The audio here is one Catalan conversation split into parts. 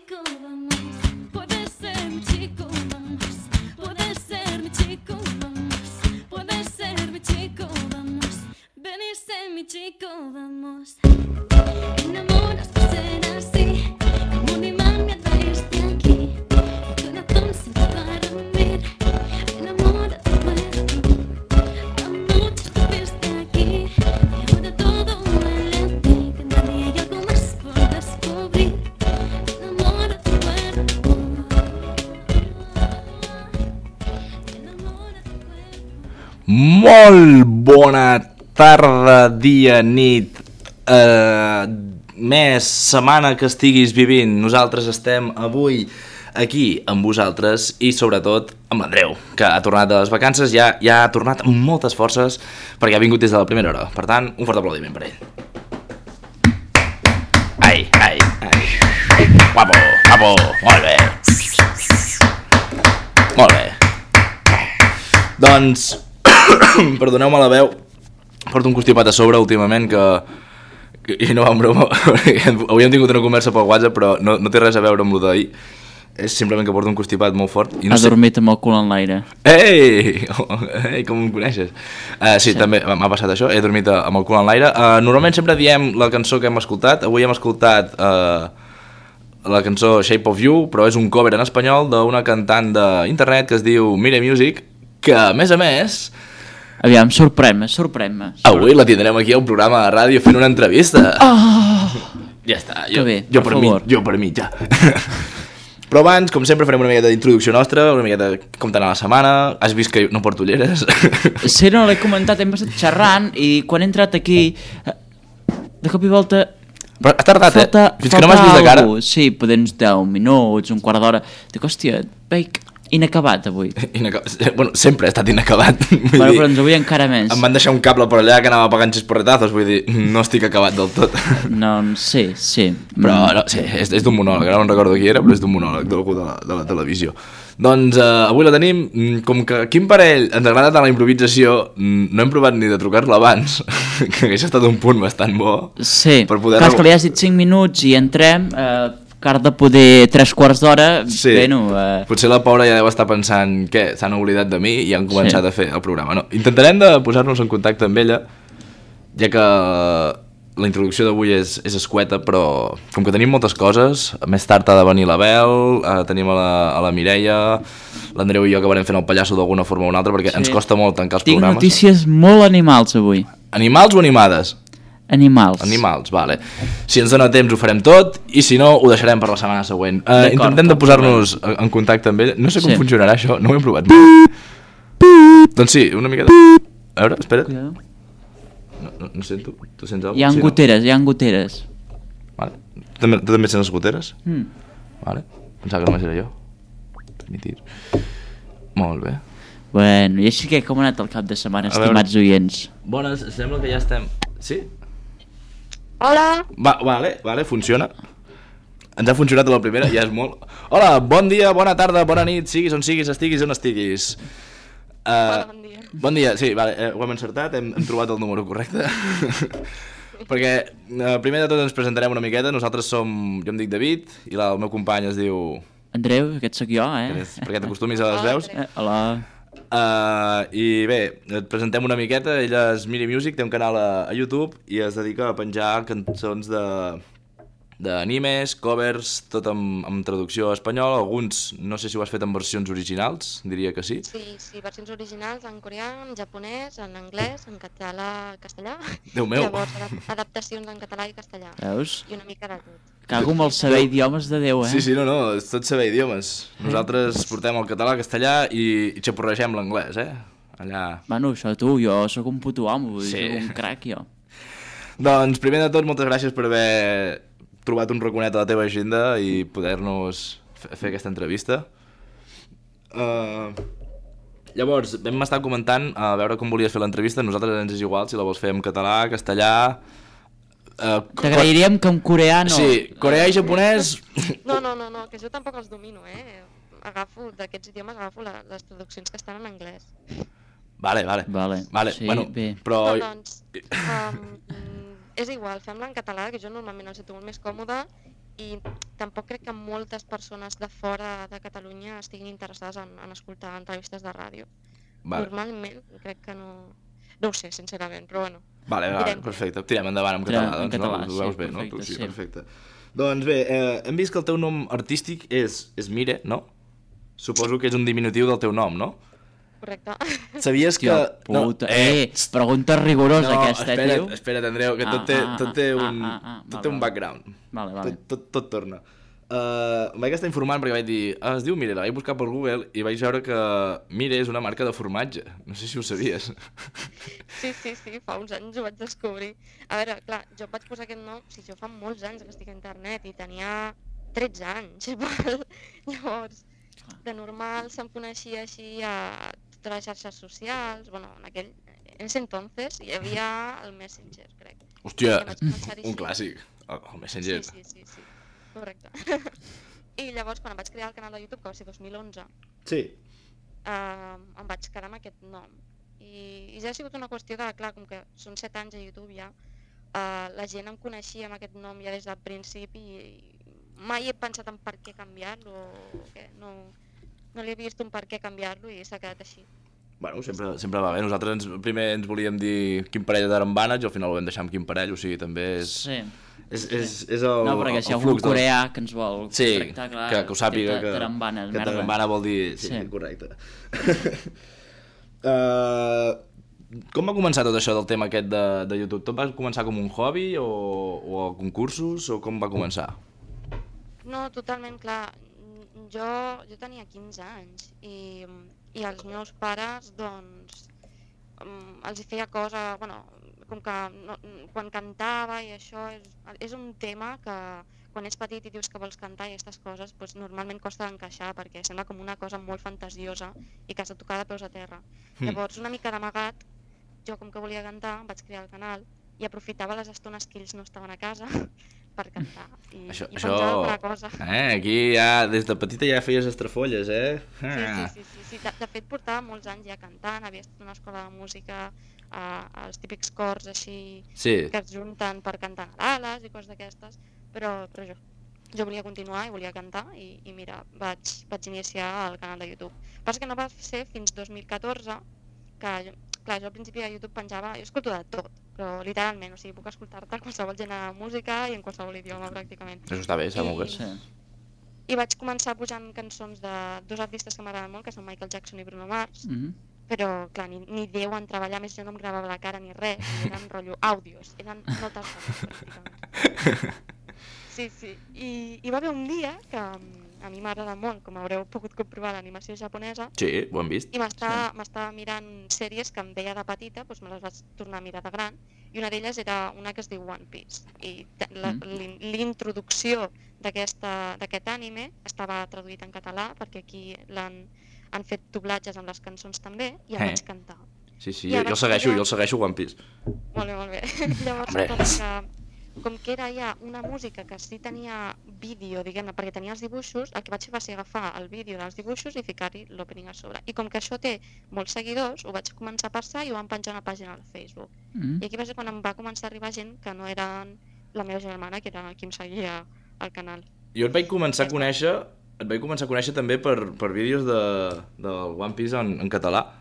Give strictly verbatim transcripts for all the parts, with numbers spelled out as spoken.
chico, vamos. Puedes ser mi chico, vamos. Puedes ser mi chico, vamos. Puedes ser mi chico, vamos. Ven y sé mi chico, vamos. Enamoras por ser así, como un imán me atraíste aquí. Tu corazón se va para dormir, enamora tu cuerpo. A muchos tuviste aquí, y ahora todo huele a ti. Cada día hay algo más por descubrir, enamora tu cuerpo. Enamora tu cuerpo. Molt bona tarda, dia, nit, eh, mes, setmana que estiguis vivint. Nosaltres estem avui aquí amb vosaltres i sobretot amb l'Andreu, que ha tornat de les vacances, ja, ja ha tornat amb moltes forces perquè ha vingut des de la primera hora. Per tant, un fort aplaudiment per ell. Ai, ai, ai. Guapo, guapo, molt bé. Molt bé. Doncs, perdoneu-me la veu, porto un constipat a sobre últimament que, que i no va en broma. Avui hem tingut una conversa pel WhatsApp, però no, no té res a veure amb lo d'ahir. És simplement que porto un constipat molt fort i no ha sé... dormit amb el cul en l'aire. Ei! Oh, ei, com em coneixes? Uh, sí, sí, també m'ha passat això, he dormit amb el cul en l'aire. Uh, normalment sempre diem la cançó que hem escoltat. Avui hem escoltat uh, la cançó Shape of You, però és un cover en espanyol d'una cantant d'internet que es diu Mire Music, que a més a més... Aviam, sorprèn-me, sorprèn-me. Avui la tindrem aquí a un programa de ràdio fent una entrevista. Oh! Ja està, jo, bé, jo, per per mi, favor. jo per mi, ja. Però abans, com sempre, farem una miqueta d'introducció nostra, una miqueta com t'ha anat la setmana. Has vist que no porto ulleres? Sí, no, l'he comentat, hem estat xerrant i quan he entrat aquí, de cop i volta... Però has tardat, falta, eh? Fins que no m'has vist de cara. Algú. Sí, poder uns deu minuts, un quart d'hora. Dic, hòstia, veig inacabat avui. Inacabat. Bueno, sempre he estat inacabat. Bueno, dir, però ens avui encara més. Em van deixar un cable per allà que anava pagant xisporretazos, vull dir, no estic acabat del tot. No, sí, sí. Però, no, sí, és, és d'un monòleg, ara no recordo qui era, però és d'un monòleg d'algú de, la, de la televisió. Doncs uh, avui la tenim, com que aquí en parell ens agrada tant la improvisació, no hem provat ni de trucar-la abans, que hagués estat un punt bastant bo. Sí, per poder... clar, que li has dit cinc minuts i entrem... Eh, que ara de poder tres quarts d'hora, sí. Bueno... Eh... Potser la pobra ja deu estar pensant que s'han oblidat de mi i han començat sí. a fer el programa. No, intentarem de posar-nos en contacte amb ella, ja que la introducció d'avui és, és escueta, però com que tenim moltes coses, més tard ha de venir la Bel, eh, tenim a la, a la Mireia, l'Andreu i jo acabarem fent el pallasso d'alguna forma o una altra, perquè sí. ens costa molt tancar els Tinc programes. Tinc notícies molt animals avui. Animals o animades? Animals. Animals, vale. Si ens dona temps ho farem tot i si no ho deixarem per la setmana següent. Uh, intentem de posar-nos en contacte amb ella. No sé com sí. funcionarà això, no ho hem provat. Doncs sí, una miqueta. A veure, espera't. No, no, no sento. Tu sents alguna cosa? Hi ha sí, goteres, no? hi ha goteres. Vale. Tu també, tu també sents les goteres? Mm. Vale. Pensava que només era jo. Permitir. Molt bé. Bueno, i així que com ha anat el cap de setmana, estimats oients? Bones, sembla que ja estem... Sí? Hola. Va, vale, vale, funciona. Ens ha funcionat la primera, ja és molt... Hola, bon dia, bona tarda, bona nit, siguis on siguis, estiguis on estiguis. Uh, bon dia. Bon dia, sí, vale, eh, ho hem encertat, hem, hem trobat el número correcte. Perquè uh, primer de tot ens presentarem una miqueta, nosaltres som... Jo em dic David i la, el meu company es diu... Andreu, aquest sóc jo, eh? És, perquè t'acostumis a les veus. Eh, hola. Uh, I bé, et presentem una miqueta. Ella és Miri Music, té un canal a, a YouTube i es dedica a penjar cançons de d'animes, covers, tot amb, amb traducció a espanyol. Alguns, no sé si ho has fet en versions originals, diria que sí. Sí, sí, versions originals en coreà, en japonès, en anglès, en català, castellà. Déu meu! Llavors, adaptacions en català i castellà. Veus? I una mica de tot. Cago amb el saber idiomes de Déu, eh? Sí, sí, no, no, és tot saber idiomes. Nosaltres portem el català, castellà i, i xapurregem l'anglès, eh? Allà... Bueno, això tu, jo sóc un puto amo, vull dir, Sí. sóc un crac, jo. Doncs, primer de tot, moltes gràcies per haver trobat un raconet a la teva agenda i poder-nos fer aquesta entrevista. Uh, llavors, vam estar comentant a veure com volies fer l'entrevista. Nosaltres ens és igual si la vols fer en català, castellà... Uh, T'agrairíem que en coreà no. Sí, coreà i japonès... No, no, no, no, que jo tampoc els domino, eh? Agafo, d'aquests idiomes, agafo la, les traduccions que estan en anglès. Vale, vale. Vale, vale. sí, bueno, bé. Però... No, doncs, um, és igual, fem-la en català, que jo normalment el sento molt més còmode, i tampoc crec que moltes persones de fora de Catalunya estiguin interessades en, en escoltar entrevistes de ràdio. Vale. Normalment crec que no... No ho sé, sincerament, però bueno. Vale, vale, direm que- perfecte. Tirem endavant en Tirem català, en doncs, català, no? Ho sí, veus bé, no? perfecte, Tu sí, sí. perfecte. Doncs bé, eh, hem vist que el teu nom artístic és, és Mire, no? Suposo que és un diminutiu del teu nom, no? Correcte. Sabies que... Hòstia puta. Eh, pregunta rigorosa no, aquesta, eh, espera't, tio. espera't, Andreu, que Ah, tot té, ah, tot té ah, un, ah, ah, tot vale, té un vale. background. Vale, vale. Tot, tot, tot torna. Uh, em vaig estar informant perquè vaig dir, ah, es diu Mire, la vaig buscar per Google i vaig veure que Mire és una marca de formatge. No sé si ho sabies. Sí, sí, sí, fa uns anys ho vaig descobrir. A veure, clar, jo em vaig posar aquest nom, o sigui, jo fa molts anys que estic a internet i tenia tretze anys, val? Llavors, de normal se'm coneixia així a totes les xarxes socials, bueno, en aquell, en ese entonces hi havia el Messenger, crec. Hòstia, I vaig començar-hi un així. clàssic, el, el Messenger. Sí, sí, sí, sí, correcte. I llavors, quan em vaig crear el canal de YouTube, que va ser dos mil onze, Sí. eh, em vaig quedar amb aquest nom. I, i ja ha sigut una qüestió de, clar, com que són set anys a YouTube ja, eh, la gent em coneixia amb aquest nom ja des del principi i, i mai he pensat en per què canviar-lo o què, no, no li he vist un per què canviar-lo i s'ha quedat així. Bueno, sempre, sempre va bé. Nosaltres ens, primer ens volíem dir quin parell d'arambànets i al final ho vam deixar amb quin parell, o sigui, també és... Sí. És, és, és el, No, perquè si hi ha el algun flux del- coreà que ens vol Sí, tractar, clar, que, que ho sàpiga, que, tarambanes, que merda. tarambana vol dir... Sí, Sí. sí. correcte. uh, com va començar tot això del tema aquest de, de YouTube? Tot va començar com un hobby o, o a concursos o com va començar? No, totalment, clar. Jo, jo tenia quinze anys i, i els meus pares, doncs, um, els hi feia cosa, bueno, com que no, quan cantava i això és, és un tema que quan ets petit i dius que vols cantar i aquestes coses, doncs normalment costa d'encaixar perquè sembla com una cosa molt fantasiosa i que has de tocar de peus a terra. Mm. Llavors, una mica d'amagat, jo com que volia cantar, vaig crear el canal i aprofitava les estones que ells no estaven a casa per cantar i, Això, i això... penjava alguna cosa. Eh, aquí ja, des de petita ja feies estrafolles, eh? Sí, sí, sí, sí, sí. De, de fet portava molts anys ja cantant, havia estat a una escola de música, eh, els típics cors així Sí. que es junten per cantar Nadales i coses d'aquestes, però, però jo, jo volia continuar i volia cantar i, i mira, vaig, vaig iniciar el canal de YouTube. Passa que no va ser fins dos mil catorze que, jo, clar, jo al principi a YouTube penjava, jo escolto de tot, però literalment, o sigui, puc escoltar-te qualsevol gènere de música i en qualsevol idioma pràcticament. Això està bé, està I- molt bé. Sí. I vaig començar pujant cançons de dos artistes que m'agraden molt, que són Michael Jackson i Bruno Mars, Mhm. però clar, ni, ni Déu en treballar, més jo no em gravava la cara ni res, i eren rotllo àudios, eren notes de veu, pràcticament. Sí, sí, I, i va haver un dia que mm, a mi m'agrada molt, com haureu pogut comprovar, l'animació japonesa, Sí, ho hem vist. i m'estava m'estava mirant sèries que em veia de petita, doncs me les vaig tornar a mirar de gran, i una d'elles era una que es diu One Piece, i te- la- Mm. l'in- l'introducció d'aquesta- d'aquest anime estava traduït en català, perquè aquí l'han han fet doblatges amb les cançons també, i el Eh. vaig cantar. Sí, sí, I jo, ara jo el segueixo, ja- jo el segueixo One Piece. Molt bé, molt bé. Llavors, Hombre. com que, com que era ja una música que sí tenia vídeo, diguem-ne, perquè tenia els dibuixos, el que vaig fer va ser agafar el vídeo dels dibuixos i ficar-hi l'opening a sobre. I com que això té molts seguidors, ho vaig començar a passar i ho vam penjar a una pàgina al Facebook. Mhm. I aquí va ser quan em va començar a arribar gent que no eren la meva germana, que era qui em seguia al canal. Jo et vaig començar a conèixer, et vaig començar a conèixer també per, per vídeos de, del One Piece en, en català.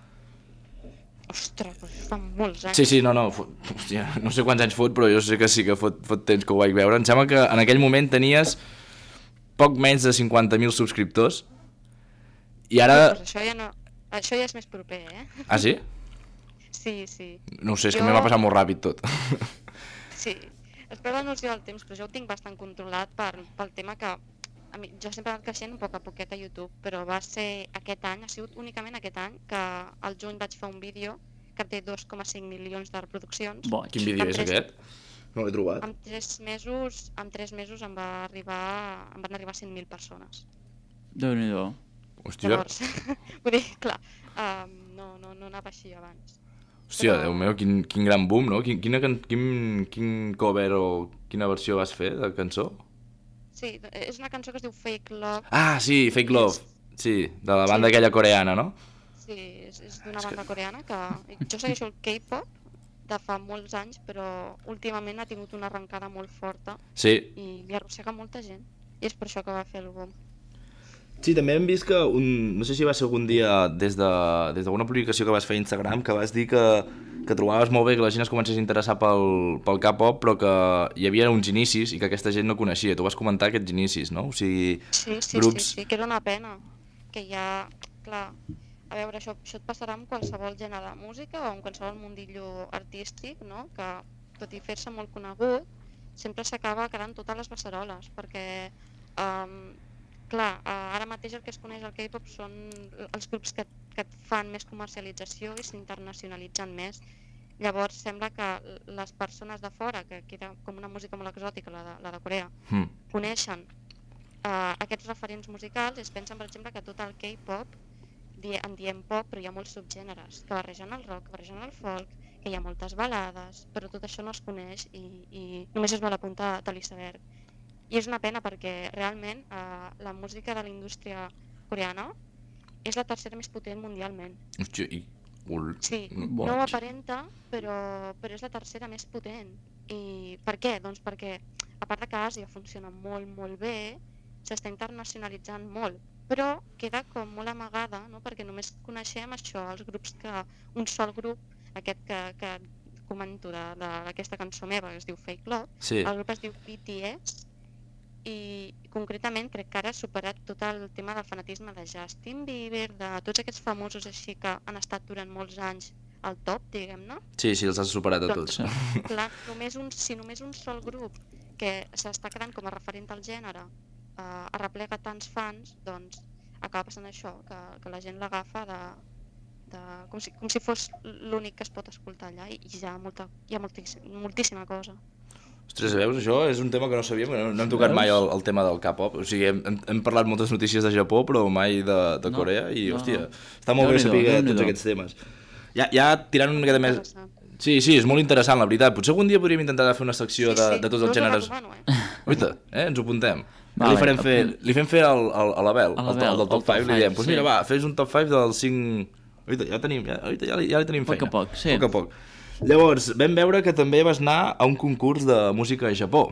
Ostres, doncs fa molts anys. Sí, sí, no, no, fot, hòstia, no sé quants anys fot, però jo sé que sí que fot, fot temps que ho vaig veure. Em sembla que en aquell moment tenies poc menys de cinquanta mil subscriptors i ara... Doncs això ja no... Això ja és més proper, eh? Ah, sí? Sí, sí. No ho sé, és que Jo- a mi m'ha passat molt ràpid tot. Sí, es perd la noció del temps, però jo ho tinc bastant controlat per, pel tema que a mi, jo sempre he anat creixent un poc a poquet a YouTube, però va ser aquest any, ha sigut únicament aquest any, que al juny vaig fer un vídeo que té dos coma cinc milions de reproduccions. Boig. Quin vídeo Amb és tres- aquest? No l'he trobat. En tres mesos, en tres mesos em, va arribar, em van arribar cent mil persones. Déu-n'hi-do. Hòstia, Llavors, vull dir, clar, um, no, no, no anava així abans. hòstia, però- Déu meu, quin, quin gran boom, no? Quin, quina, can- quin, quin cover o quina versió vas fer de cançó? Sí, és una cançó que es diu Fake Love. Ah, sí, Fake Love. Sí, de la banda Sí. aquella coreana, no? Sí, és, és d'una banda coreana que... Jo segueixo el K-pop de fa molts anys, però últimament ha tingut una arrencada molt forta Sí. i li arrossega molta gent. I és per això que va fer el boom. Sí, també hem vist que, un, no sé si va ser algun dia des d'alguna de, des publicació que vas fer a Instagram, que vas dir que, que trobaves molt bé que la gent es comencés a interessar pel, pel K-pop, però que hi havia uns inicis i que aquesta gent no coneixia. Tu vas comentar aquests inicis, no? O sigui, Sí, sí, grups... sí, sí, que era una pena. Que ja, clar, a veure, això, això et passarà amb qualsevol gènere de música o amb qualsevol mundillo artístic, no? Que tot i fer-se molt conegut, sempre s'acaba quedant totes les beceroles, perquè, um, clar, uh, ara mateix el que es coneix al K-pop són els grups que, que et fan més comercialització i s'internacionalitzen més. Llavors sembla que les persones de fora, que queda com una música molt exòtica, la de, la de Corea, Mm. coneixen uh, aquests referents musicals i es pensen, per exemple, que tot el K-pop, di en diem pop, però hi ha molts subgèneres, que barregen el rock, que barregen el folk, que hi ha moltes balades, però tot això no es coneix i, i només es va a la punta de l'iceberg. I és una pena perquè realment uh, la música de la indústria coreana és la tercera més potent mundialment. Hòstia, i... Ul... Sí, Boig. no ho aparenta, però, però és la tercera més potent. I per què? Doncs perquè, a part de que Àsia funciona molt, molt bé, s'està internacionalitzant molt, però queda com molt amagada, no? Perquè només coneixem això, els grups que... un sol grup, aquest que, que comento d'aquesta cançó meva, que es diu Fake Love, Sí. el grup es diu B T S, i concretament crec que ara ha superat tot el tema del fanatisme de Justin Bieber, de tots aquests famosos així que han estat durant molts anys al top, diguem-ne. Sí, sí, els has superat a Doncs, tots. clar, només un, si només un sol grup que s'està quedant com a referent al gènere eh, arreplega tants fans, doncs acaba passant això, que, que la gent l'agafa de, de, com, si, com si fos l'únic que es pot escoltar allà i, i hi ha, molta, hi ha moltíssim, moltíssima cosa. Ostres, veus, això és un tema que no sabíem, no, no hem tocat mai el, el tema del K-pop, o sigui, hem, hem, hem parlat moltes notícies de Japó, però mai de, de No, Corea, i no, hòstia, no. està molt bé Déu-n'hi-do, saber Déu-n'hi-do. tots aquests temes. Ja, ja tirant una miqueta més... Interessant. Sí, sí, és molt interessant, la veritat. Potser algun dia podríem intentar fer una secció de, de tots jo els us ho gèneres... recomano, eh? Oita, eh, ens ho apuntem. Vale, li, farem fer, apunt. li fem fer el, el, a l'Abel, A el, l'Abel, el del top el top cinc, li five, diem, doncs sí. mira, va, fes un top cinc dels cinc... Oita, ja tenim, ja, oita, ja, li, ja li tenim Poc a feina. poc, sí. Poc a poc. Llavors, vam veure que també vas anar a un concurs de música a Japó.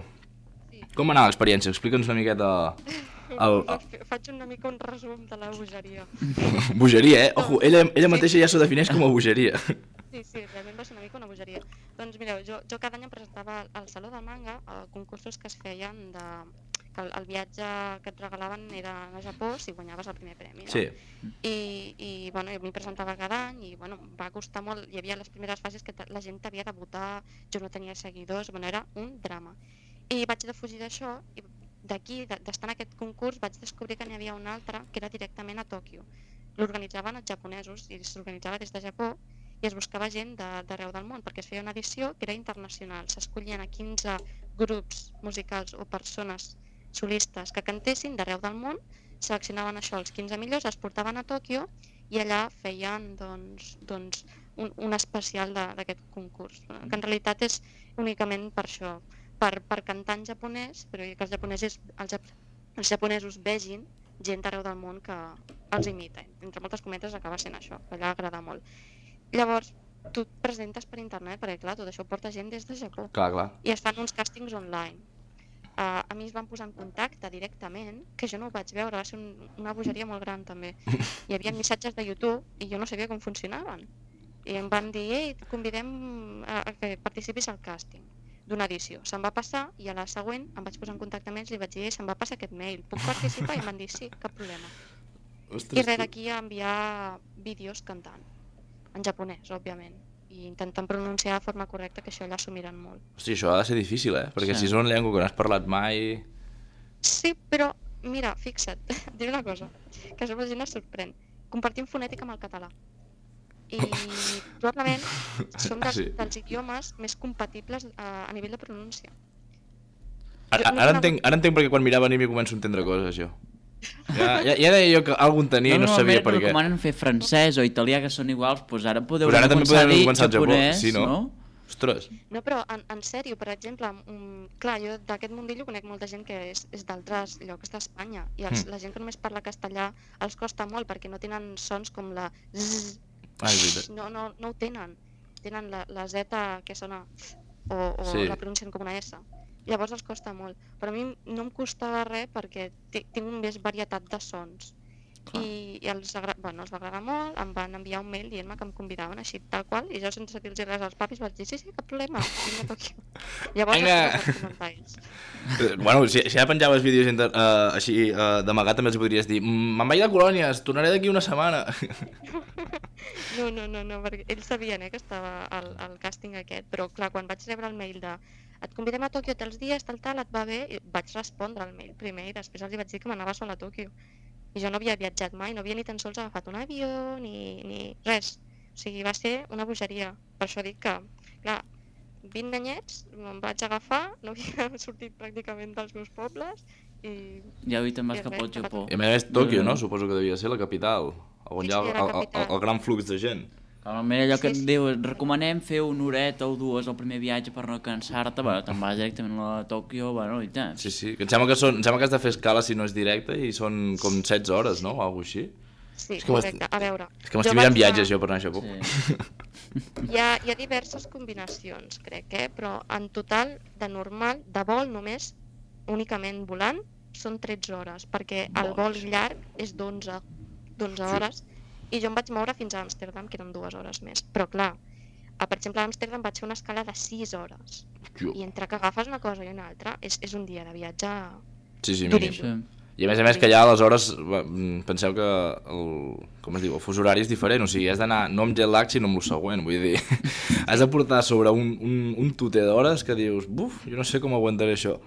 Com va anar l'experiència? Explica'ns una miqueta... El, el... Faig una mica un resum de la bogeria. Bogeria, eh? Ojo, ella, ella mateixa ja s'ho defineix com a bogeria. Sí, sí, realment va ser una mica una bogeria. Doncs mireu, jo, jo cada any em presentava al Saló del Manga a concursos que es feien de... que el, el viatge que et regalaven era a Japó si guanyaves el primer premi, no? Sí. I, i bueno, jo m'hi presentava cada any i bueno, em va costar molt, hi havia les primeres fases que la gent t'havia de votar, jo no tenia seguidors, bueno, era un drama. I vaig defugir d'això i d'aquí, d'estar en aquest concurs, vaig descobrir que n'hi havia un altre que era directament a Tòquio. L'organitzaven els japonesos i s'organitzava des de Japó i es buscava gent d'arreu del món perquè es feia una edició que era internacional. S'escollien a quinze grups musicals o persones solistes que cantessin d'arreu del món, seleccionaven això, els quinze millors, els portaven a Tòquio i allà feien doncs, doncs, un, un especial d'aquest concurs, que en realitat és únicament per això, per, per cantar en japonès, però que els japonesos, els, els japonesos vegin gent d'arreu del món que els imita. Entre moltes cometes acaba sent això, que allà agrada molt. Llavors, tu et presentes per internet, perquè clar, tot això ho porta gent des de Japó. Clar, clar. I es fan uns càstings online. Uh, a mi es van posar en contacte directament, que jo no ho vaig veure, va ser un, una bogeria molt gran també. Hi havia missatges de YouTube i jo no sabia com funcionaven. I em van dir, ei, et convidem a, a que participis al càsting d'una edició. Se'm va passar i a la següent em vaig posar en contacte amb ells i li vaig dir, se'm va passar aquest mail, puc participar? I em van dir, sí, cap problema. Ostres, I res d'aquí a enviar vídeos cantant, en japonès, òbviament, i intentant pronunciar de forma correcta, que això allà s'ho miren molt. Hosti, això ha de ser difícil, eh? Perquè Sí. si és una llengua que no has parlat mai... Sí, però, mira, fixa't, diré una cosa, que això la gent es sorprèn. Compartim fonètica amb el català. I probablement som dels, Sí. dels idiomes més compatibles a, a nivell de pronúncia. Ara, no ara, conegut- entenc, ara entenc perquè quan mirava anime començo a entendre coses, jo. Ja, ja, ja deia jo que algun tenia i no sabia per què. recomanen fer francès o italià, que són iguals, doncs ara podeu Però ara també començar a podem dir començar al Japó, japonès, sí, no? no? Ostres. No, però en, en sèrio, per exemple, um, clar, jo d'aquest mundillo conec molta gent que és, és d'altres llocs d'Espanya i els, Mm. la gent que només parla castellà els costa molt perquè no tenen sons com la zzz, Ah, és veritat. no, no, no ho tenen. tenen la, la Z que sona o, o Sí. la pronuncien com una S. Llavors els costa molt. Però a mi no em costava res perquè ti- tinc més varietat de sons. I, i els, agra... bueno, els va agradar molt, em van enviar un mail dient-me que em convidaven així tal qual, i jo sense dir-los res als papis vaig dir sí, sí, cap problema, vinc a Tòquio. Llavors Vinga. els vaig comentar ells. Eh, Bueno, si, si ja penjaves vídeos inter, uh, així uh, d'amagat també els podries dir "Mm, me'n vaig de colònies, tornaré d'aquí una setmana". No, no, no, no, perquè ells sabien eh, que estava al, al càsting aquest, però clar, quan vaig rebre el mail de et convidem a Tòquio tals dies, tal, tal, et va bé, i vaig respondre al mail primer i després els hi vaig dir que m'anava sola a Tòquio. I jo no havia viatjat mai, no havia ni tan sols agafat un avió, ni, ni res. O sigui, va ser una bogeria. Per això dic que, clar, vint anyets me'n vaig agafar, no havia sortit pràcticament dels meus pobles i... Ja avui te'n vas I cap res, al cap a Japó. I a més a més Tòquio, Mm. no? Suposo que devia ser la capital, on Sí, hi ha sí, el, era el, el, capital. el gran flux de gent. Normalment allò que Sí, et sí. diu, et recomanem fer una horeta o dues al primer viatge per no cansar-te, bueno, te'n vas directament a Tòquio, bueno, i tant. Sí, sí, que em sembla que, són, em sembla que has de fer escala si no és directe i són com setze hores, no? O alguna cosa així. Sí, És que m'est- correcte. A veure, És que m'estic mirant vaig anar- viatges jo per anar a Japó. Sí. Hi ha, hi ha diverses combinacions, crec, eh? Però en total, de normal, de vol només, únicament volant, són tretze hores, perquè el vol llarg és d'onze d'onze Sí. hores, i jo em vaig moure fins a Amsterdam, que eren dues hores més. Però clar, a, per exemple, a Amsterdam vaig fer una escala de sis hores, Hòstia. i entre que agafes una cosa i una altra, és, és un dia de viatge... Sí, sí, Duríssim. mínim. Sí. I a més a més que allà aleshores, va, mm, penseu que el, com es diu, el fus horari és diferent, o sigui, has d'anar no amb jet lag sinó amb el següent, vull dir, has de portar sobre un, un, un tuter d'hores que dius, buf, jo no sé com aguantaré això.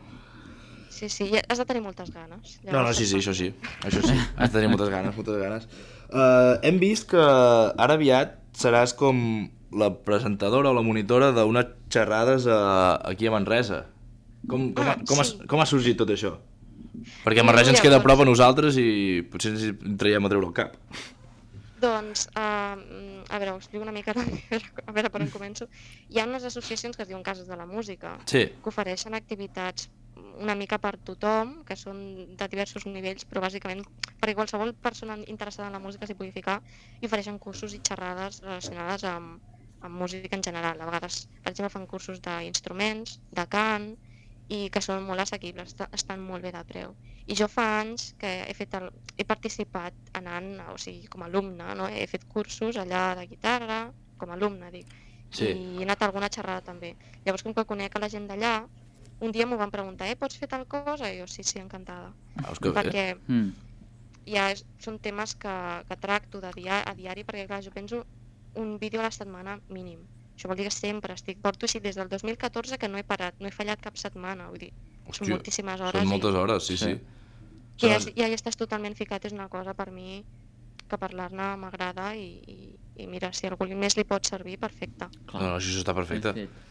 Sí, sí, i has de tenir moltes ganes. No, no, Llavors sí, sí, se't això fa. sí, això sí, has de tenir moltes ganes, moltes ganes. Uh, hem vist que ara aviat seràs com la presentadora o la monitora d'unes xerrades a, aquí a Manresa. Com, com, ha, Ah, com, ha, sí. com ha sorgit tot això? Perquè Sí, Manresa ens mira, queda a doncs- prop a nosaltres i potser ens hi traiem a treure el cap. Doncs, uh, a veure, us explico una mica, a veure, a veure per on començo. Hi ha unes associacions que es diuen Cases de la Música, Sí, que ofereixen activitats una mica per tothom, que són de diversos nivells, però bàsicament perquè qualsevol persona interessada en la música s'hi pugui ficar, i ofereixen cursos i xerrades relacionades amb, amb música en general. A vegades, per exemple, fan cursos d'instruments, de cant, i que són molt assequibles, est- estan molt bé de preu. I jo fa anys que he, fet el, he participat anant, o sigui, com a alumne, no? He fet cursos allà de guitarra, com a alumne, dic, sí. i he anat a alguna xerrada també. Llavors, com que conec a la gent d'allà, un dia m'ho van preguntar, eh, pots fer tal cosa? I jo, sí, sí, encantada. Veus que bé. Perquè Mm. ja és, són temes que, que tracto de dia, a diari, perquè clar, jo penso un vídeo a la setmana mínim. Això vol dir que sempre estic, porto així des del dos mil catorze que no he parat, no he fallat cap setmana, vull dir, Hòstia, són moltíssimes hores. Són moltes hores, sí, sí. I, i ja, Són- ja hi estàs totalment ficat, és una cosa per mi que parlar-ne m'agrada i, i, i mira, si a algú més li pot servir, perfecte. Clar. No, no, això està perfecte. Ben fet.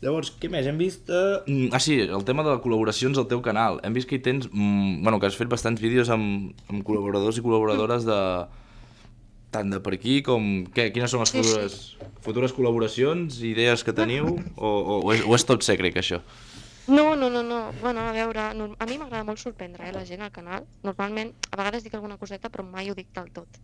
Llavors, què més? Hem vist... Uh... Ah, sí, el tema de col·laboracions al teu canal. Hem vist que hi tens... Mm, bueno, que has fet bastants vídeos amb, amb col·laboradors i col·laboradores de... tant de per aquí com... Què? Quines són les Sí, sí. futures, futures col·laboracions, idees que teniu? O, o, o, és, o és tot secret, això? No, no, no, no. Bueno, a veure, no, a mi m'agrada molt sorprendre eh, la gent al canal. Normalment, a vegades dic alguna coseta, però mai ho dic del tot.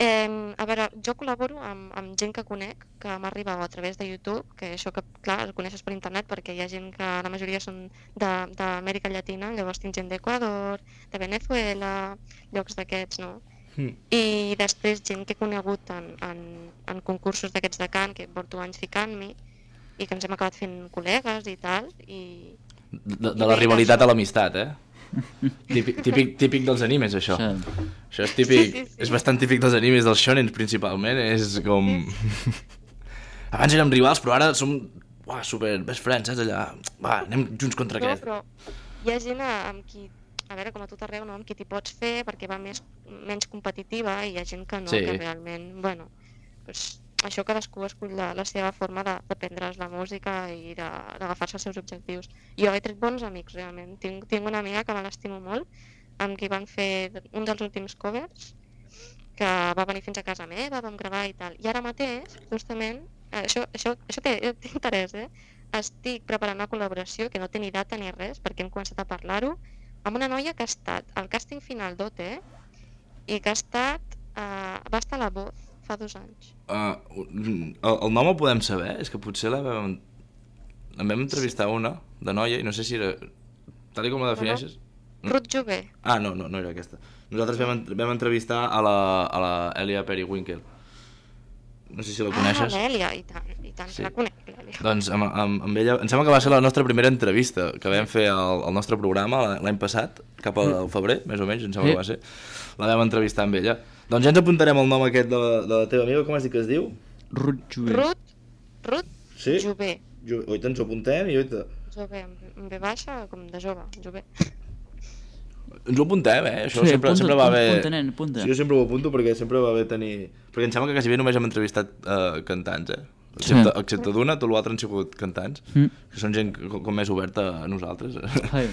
Eh, a veure, jo col·laboro amb, amb gent que conec, que m'arriba a través de YouTube, que això que, clar, el coneixes per internet perquè hi ha gent que la majoria són de- d'Amèrica Llatina, llavors tinc gent d'Equador, de Venezuela, llocs d'aquests, no? Mm. I després gent que he conegut en, en, en concursos d'aquests de cant, que porto anys ficant-m'hi, i que ens hem acabat fent col·legues i tal, i... De, de la rivalitat a l'amistat, eh? Típic, típic, típic dels animes, això. Sí. Això és típic, Sí, sí, sí. és bastant típic dels animes, dels shonens principalment, és com... Abans érem rivals, però ara som uah, super best friends, saps allà? Va, anem junts contra No, aquest. però hi ha gent a- amb qui, a veure, com a tot arreu, no? Amb qui t'hi pots fer perquè va més, menys competitiva, i hi ha gent que no, Sí. que realment, bueno, pues, això cadascú escull la, la seva forma de, de prendre's la música i de- d'agafar-se els seus objectius. Jo he tret bons amics, realment. Tinc, tinc una amiga que me l'estimo molt, amb qui van fer un dels últims covers, que va venir fins a casa meva, vam gravar i tal. I ara mateix, justament, eh, això, això, això té, té interès, eh? Estic preparant una col·laboració que no té ni data ni res, perquè hem començat a parlar-ho, amb una noia que ha estat al càsting final d'O T i que ha estat, eh, va estar a la Voz fa dos anys. Uh, el, el nom el podem saber? És que potser la vam, la vam entrevistar una de noia i no sé si era... Tal com la defineixes... Ruth Jové. Ah, no, no, no era aquesta. Nosaltres vam, vam entrevistar a la, a la Elia Periwinkle. No sé si la coneixes. Ah, l'Èlia, i tant, i tant, Sí. sí. La conec, l'Èlia. Doncs amb, amb, amb ella, em sembla que va ser la nostra primera entrevista que vam fer al, al nostre programa l'any passat, cap al febrer, més o menys, em sembla Sí. que va ser. La vam entrevistar amb ella. Doncs ja ens apuntarem el nom aquest de la, de la teva amiga, com has dit que es diu? Ruth Jové. Ruth, Ruth Sí? Jové. Jo, oita, ens ho apuntem i oita. Jové, amb amb ve baixa, com de jove, Jové. Ens ho apuntem, eh? Això Sí, sempre, apunta, sempre va bé... apunta, nen, apunta. Sí, jo sempre ho apunto perquè sempre va bé tenir... Perquè em sembla que quasi bé només hem entrevistat uh, cantants, eh? Sí. Excepte, excepte d'una, tot l'altre han sigut cantants, Mm. que són gent com, com més oberta a nosaltres. Ai.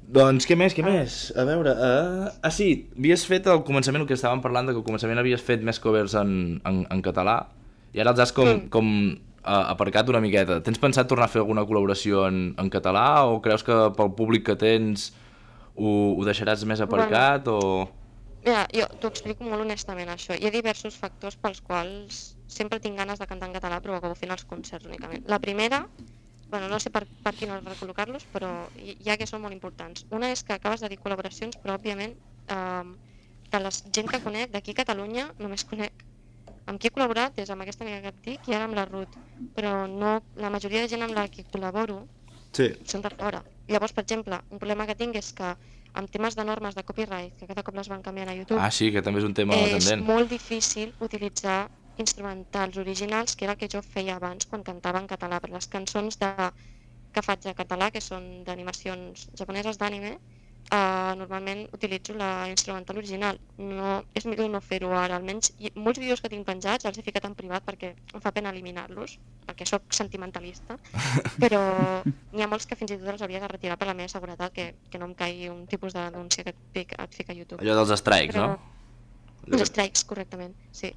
Doncs què més, què més? A veure... Uh... Ah, sí, havies fet al començament el que estàvem parlant, de que al començament havies fet més covers en, en, en català, i ara els has com, Mm. com uh, aparcat una miqueta. Tens pensat tornar a fer alguna col·laboració en, en català, o creus que pel públic que tens ho, ho deixaràs més aparcat, bueno. o...? Mira, jo t'ho explico molt honestament, això. Hi ha diversos factors pels quals sempre tinc ganes de cantar en català, però acabo fent els concerts únicament. La primera, bueno, no sé per, per quin ordre recol·locar-los, però hi hi ha que són molt importants. Una és que acabes de dir col·laboracions, però òbviament eh, de la gent que conec d'aquí a Catalunya només conec amb qui he col·laborat és amb aquesta amiga que et dic i ara amb la Ruth, però no, la majoria de gent amb la que col·laboro Sí. són de fora. Llavors, per exemple, un problema que tinc és que amb temes de normes de copyright, que cada cop les van canviant a YouTube, Ah, sí, que també és un tema és tendent. molt difícil utilitzar instrumentals originals, que era el que jo feia abans quan cantava en català, per les cançons de, que faig en català, que són d'animacions japoneses d'anime, uh, normalment utilitzo la instrumental original. No, és millor no fer-ho ara, almenys i molts vídeos que tinc penjats els he ficat en privat perquè em fa pena eliminar-los, perquè sóc sentimentalista, però n'hi ha molts que fins i tot els hauria de retirar per la meva seguretat, que, que no em caigui un tipus de denúncia que et fica, et fica a YouTube. Allò dels strikes, Però- no? Els strikes, correctament, sí.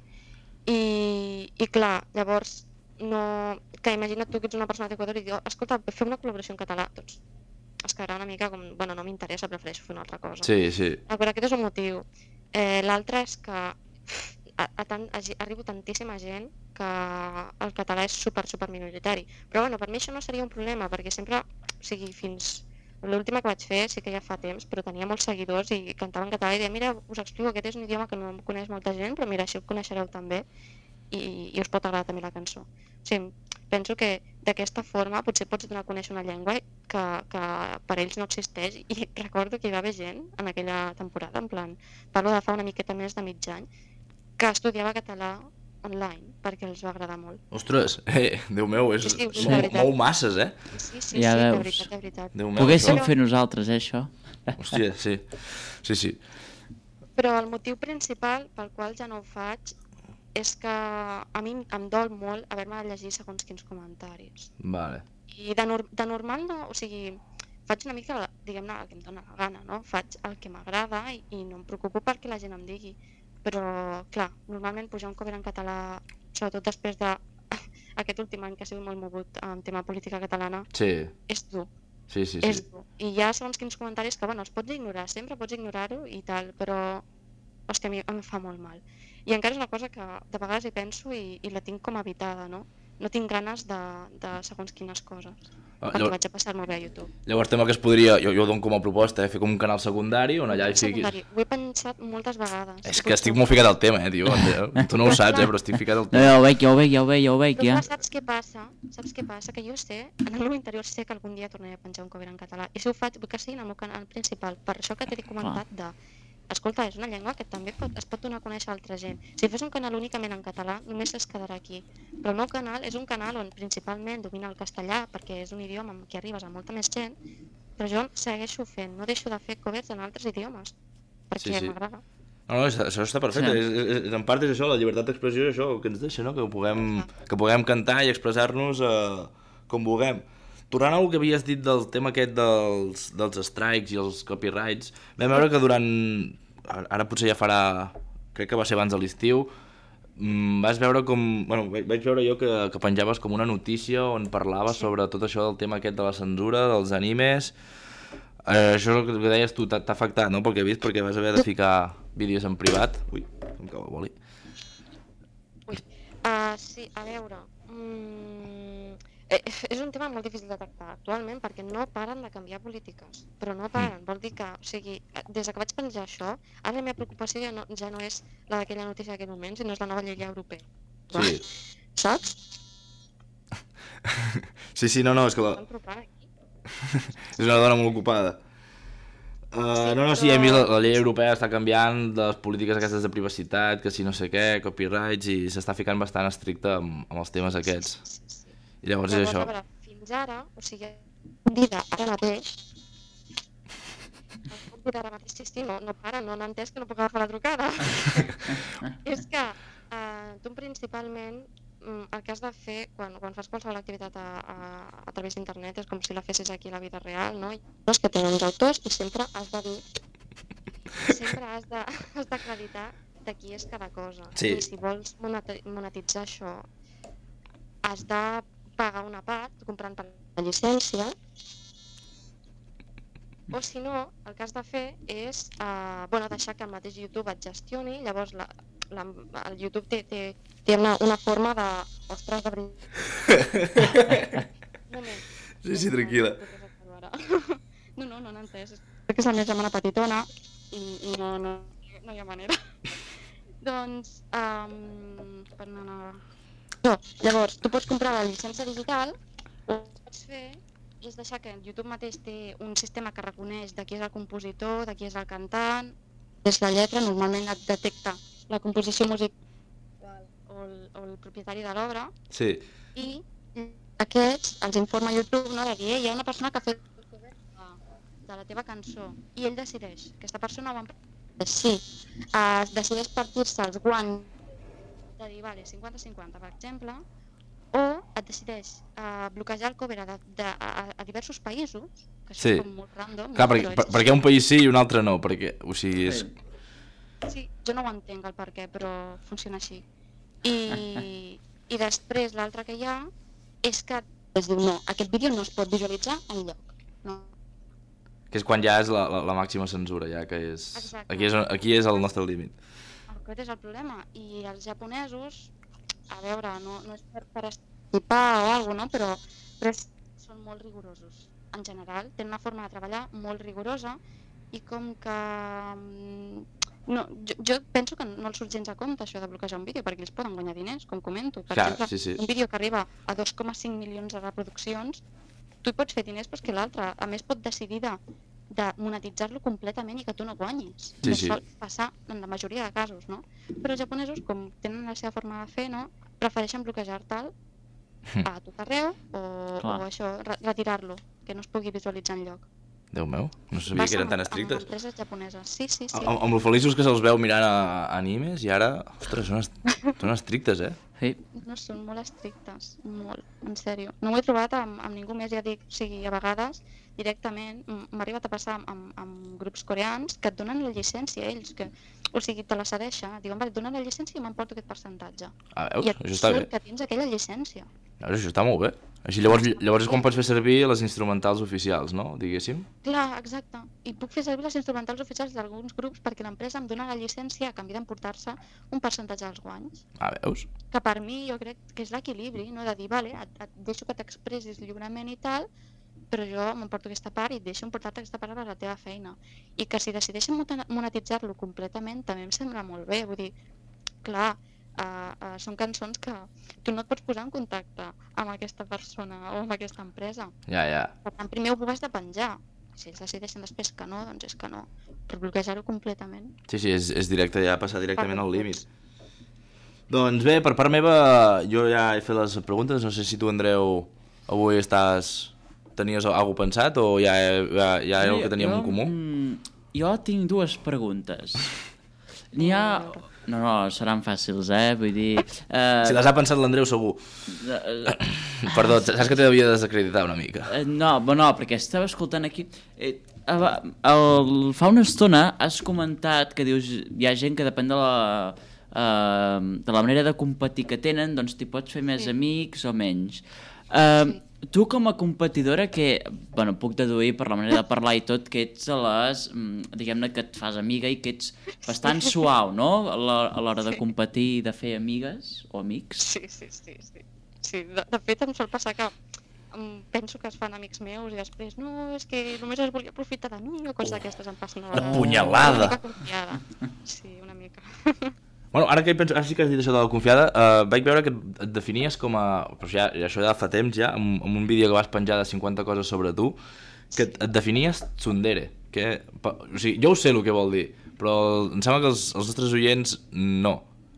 I, i clar, llavors, no... que imagina't tu que ets una persona d'Equador i diu, escolta, fer una col·laboració en català, doncs es quedarà una mica com, bueno, no m'interessa, prefereixo fer una altra cosa. Sí, sí. Ah, però aquest és un motiu. Eh, L'altre és que a, a tant, a, arribo tantíssima gent que el català és super, super minoritari. Però bueno, per mi això no seria un problema, perquè sempre, o sigui, fins l'última que vaig fer sí que ja fa temps, però tenia molts seguidors i cantava en català i deia, mira, us explico, aquest és un idioma que no coneix molta gent, però mira, així ho coneixereu també i, i us pot agradar també la cançó. O sigui, penso que d'aquesta forma potser pots donar a conèixer una llengua que, que per ells no existeix, i recordo que hi va haver gent en aquella temporada, en plan, parlo de fa una miqueta més de mig any, que estudiava català online perquè els va agradar molt. Ostres, eh, Déu meu, és Sí, sí, sí, molt, de veritat. molt masses, eh? Sí, sí, Ja sí, de veus. veritat, de veritat. Déu meu, Poguéssim això. fer nosaltres, eh, això? Hòstia, sí. Sí, sí. Però el motiu principal pel qual ja no ho faig és que a mi em dol molt haver-me de llegir segons quins comentaris. Vale. I de, nor de normal no, o sigui, faig una mica, diguem-ne, el que em dóna la gana, no? Faig el que m'agrada i, i no em preocupo perquè la gent em digui. Però, clar, normalment pujar un cover en català, sobretot després de aquest últim any que ha sigut molt mogut en tema política catalana, Sí, és dur. sí, sí. És sí. dur. I hi ha segons quins comentaris que, bueno, els pots ignorar, sempre pots ignorar-ho i tal, però, hòstia, a mi em fa molt mal. I encara és una cosa que de vegades hi penso i, i la tinc com habitada, no? No tinc ganes de, de segons quines coses, Ah, perquè llavors, vaig a passar-me bé a YouTube. llavors tema que es podria, jo, jo ho dono com a proposta, eh, fer com un canal secundari on allà hi fiquis... Secundari. Ho he pensat moltes vegades. És que estic molt ficat al tema, eh, tio. Tu no ho saps, eh, però estic ficat al No, tema. ja ho veig, ja ho veig, ja ho veig, ja ho veig, Però ja. clar, saps què passa? Saps què passa? Que jo sé, en el meu interior sé que algun dia tornaré a penjar un cover en català. I si ho faig, vull que sigui en el meu canal principal. Per això que t'he comentat de... Escolta, és una llengua que també pot, es pot donar a conèixer a altra gent. Si fes un canal únicament en català, només es quedarà aquí. Però el meu canal és un canal on principalment domina el castellà, perquè és un idioma amb què arribes a molta més gent, però jo segueixo fent, no deixo de fer covers en altres idiomes, perquè Sí, sí. m'agrada. No, no, això això està perfecte. Sí. És, és, és, en part és això, la llibertat d'expressió és això, el que ens deixa, no? Que ho puguem, que puguem cantar i expressar-nos eh, com vulguem. Tornant al que havies dit del tema aquest dels, dels strikes i els copyrights, vam veure que durant... Ara potser ja farà... Crec que va ser abans de l'estiu. Mm, vas veure com... Bueno, vaig vaig veure jo que, que penjaves com una notícia on parlaves sobre tot això del tema aquest de la censura, dels animes... Eh, això és el que deies tu, t'ha t'ha afectat, no? Pel que he vist, perquè vas haver de ficar vídeos en privat. Ui, em cau el boli. Uh, sí, a veure... Mm, eh, és un tema molt difícil de tractar actualment perquè no paren de canviar polítiques, però no paren, vol dir que, o sigui, des que vaig penjar això, ara la meva preocupació ja no, ja no és la d'aquella notícia d'aquell moment, sinó és la nova llei europea. Sí. Saps? Sí, sí, no, no, és que la... és una dona molt ocupada. Uh, no, no, sí, hem vist la, la llei europea està canviant les polítiques aquestes de privacitat, que si no sé què, copyrights, i s'està ficant bastant estricte amb, amb els temes aquests. Sí, sí, sí. I llavors, llavors és això. A veure, fins ara, o sigui, dida ara mateix, el puc dir ara mateix, sí, sí, no, no para, no han entès que no puc agafar la trucada. És que uh, tu principalment el que has de fer quan, quan fas qualsevol activitat a, a, a través d'internet és com si la fessis aquí a la vida real, no? Hi ha coses que tenen uns autors i sempre has de dir, sempre has de, has d'acreditar de qui és cada cosa. Sí. I si vols monetitzar això, has de pagar una part comprant per la llicència, o si no, el que has de fer és uh, bueno, deixar que el mateix YouTube et gestioni, llavors la, la, el YouTube té, té, té una, una forma de... Ostres, de veritat. Sí, sí, tranquil·la. No, no, no n'he entès. Crec que és la meva germana petitona i, i no, no, no hi ha manera. Doncs, um, per no anar... No, llavors, tu pots comprar la llicència digital, o el que pots fer és deixar que YouTube mateix té un sistema que reconeix de qui és el compositor, de qui és el cantant, és la lletra, normalment et detecta la composició musical o el, o el propietari de l'obra, sí. I aquests els informa YouTube, no, de dir, hi ha una persona que ha fet de, de la teva cançó, i ell decideix, aquesta persona ho va sí, uh, decideix partir-se els guanys de dir, vale, cinquanta cinquanta, per exemple, o et decideix uh, bloquejar el cover a, de, a, a diversos països, que això sí. És com molt random. Clar, no? perquè, per, perquè un país sí i un altre no, perquè, o sigui, és... Sí, jo no ho entenc el per què, però funciona així. I, i després l'altre que hi ha és que es diu, no, aquest vídeo no es pot visualitzar enlloc. No. Que és quan ja és la, la, la màxima censura, ja que és... Aquí és, aquí és el nostre límit. Aquest és el problema. I els japonesos, a veure, no, no és per, per estipar o alguna cosa, no? però, però és, són molt rigorosos. En general, tenen una forma de treballar molt rigorosa i com que... No, jo, jo penso que no els surt gens a compte això de bloquejar un vídeo perquè ells poden guanyar diners, com comento. Per Clar, exemple, sí, sí. un vídeo que arriba a dos coma cinc milions de reproduccions, tu hi pots fer diners però és que l'altre, a més, pot decidir de, de monetitzar-lo completament i que tu no guanyis. Sí, Això sí. sol passar en la majoria de casos, no? Però els japonesos, com tenen la seva forma de fer, no? Prefereixen bloquejar-te'l a tot arreu o, o això, re retirar-lo, que no es pugui visualitzar enlloc. Déu meu, no sabia que eren tan estrictes. Amb empreses japoneses, sí, sí, sí. Amb, amb lo feliços que se'ls veu mirant a, a animes i ara, ostres, són, est són estrictes, eh? Sí. No, són molt estrictes, molt, en sèrio. No ho he trobat amb, amb ningú més, ja dic, o sigui, a vegades directament m'ha arribat a passar amb, amb, amb grups coreans que et donen la llicència ells, que, o sigui, te la cedeixen, diuen, vale, et donen la llicència i m'emporto aquest percentatge. Ah, veus? I et Això està bé. surt que tens aquella llicència. Veus, això està molt bé. Així llavors, llavors és quan pots fer servir les instrumentals oficials, no? Diguéssim. Clar, exacte. I puc fer servir les instrumentals oficials d'alguns grups perquè l'empresa em dona la llicència a canvi d'emportar-se un percentatge dels guanys. Ah, veus? Que per mi jo crec que és l'equilibri, no? De dir, vale, et, et deixo que t'expressis lliurement i tal, però jo m'emporto aquesta part i et deixo emportar-te aquesta part per la teva feina. I que si decideixen monetitzar-lo completament també em sembla molt bé, vull dir, clar, Uh, uh, són cançons que tu no et pots posar en contacte amb aquesta persona o amb aquesta empresa. Ja, ja. Per tant, primer ho has de penjar. Si ells decideixen després que no, doncs és que no. Per bloquejar-ho completament. Sí, sí, és, és directe, ja passar directament al límit. Doncs bé, per part meva, jo ja he fet les preguntes. No sé si tu, Andreu, avui estàs... tenies alguna cosa pensat o ja, ja, ja era el que teníem jo, en comú? Mm, jo tinc dues preguntes. N'hi ha... No, no, seran fàcils, eh? Vull dir... Eh... Si les ha pensat l'Andreu, segur. Uh, Perdó, saps que t'havia de desacreditar una mica. Uh, no, no, perquè estava escoltant aquí... Eh, el, fa una estona has comentat que dius hi ha gent que depèn de la, uh, de la manera de competir que tenen, doncs t'hi pots fer més sí. amics o menys. Uh, sí. Tu com a competidora que, bueno, puc deduir per la manera de parlar i tot, que ets a les, mm, diguem-ne que et fas amiga i que ets bastant suau, no? A l'hora a l'hora de competir i de fer amigues o amics. Sí, sí, sí, sí. sí de, de fet, em sol passar que em penso que es fan amics meus i després no, és que només es volia aprofitar de mi o coses d'aquestes em passen. La punyalada! Una mica confiada. Sí, una mica. Bueno, ara que hi penso, ara sí que has dit això de la confiada, eh, vaig veure que et definies com a... Però ja, això ja fa temps ja, amb, amb un vídeo que vas penjar de cinquanta coses sobre tu, que et, et definies tsundere. Que, pa, o sigui, jo ho sé el que vol dir, però em sembla que els, els nostres oients no.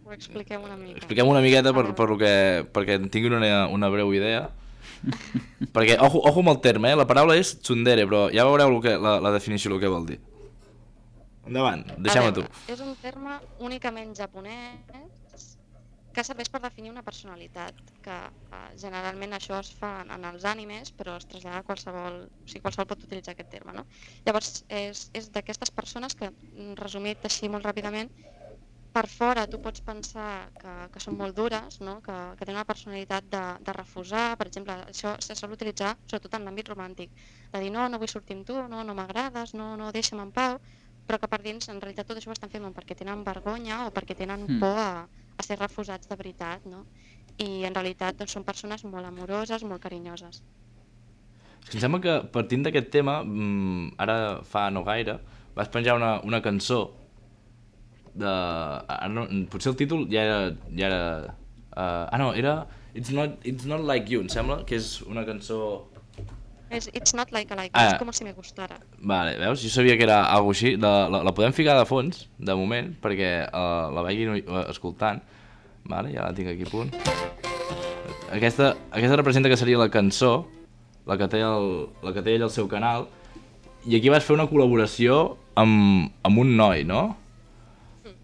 Ho expliquem una mica. Expliquem una miqueta per, per lo que, perquè en tinguin una, una breu idea. Perquè, ojo, ojo amb el terme, eh? La paraula és tsundere, però ja veureu lo que, la, la definició, el que vol dir. Endavant, deixem-ho a tu. És un terme únicament japonès que serveix per definir una personalitat, que eh, generalment això es fa en els animes, però es trasllada a qualsevol... O sigui, qualsevol pot utilitzar aquest terme, no? Llavors, és, és d'aquestes persones que, resumit així molt ràpidament, per fora tu pots pensar que, que són molt dures, no? que, que tenen una personalitat de, de refusar, per exemple, això se sol utilitzar sobretot en l'àmbit romàntic, de dir no, no vull sortir amb tu, no, no m'agrades, no, no deixa'm en pau, però que per dins en realitat tot això ho estan fent perquè tenen vergonya o perquè tenen Mm. por a, a ser refusats de veritat, no? I en realitat doncs, són persones molt amoroses, molt carinyoses. És que em sembla que partint d'aquest tema, mmm, ara fa no gaire, vas penjar una, una cançó de... Ara no, potser el títol ja era... Ja era uh, ah no, era It's not, It's not Like You, em sembla, que és una cançó... És It's not like a like, Ah. és com si me gustara. Vale, veus? Jo sabia que era alguna així. La, la, la podem ficar de fons, de moment, perquè uh, la vagin uh, escoltant. Vale, ja la tinc aquí a punt. Aquesta, aquesta representa que seria la cançó, la que té, el, la que té ell al seu canal, i aquí vas fer una col·laboració amb, amb un noi, no?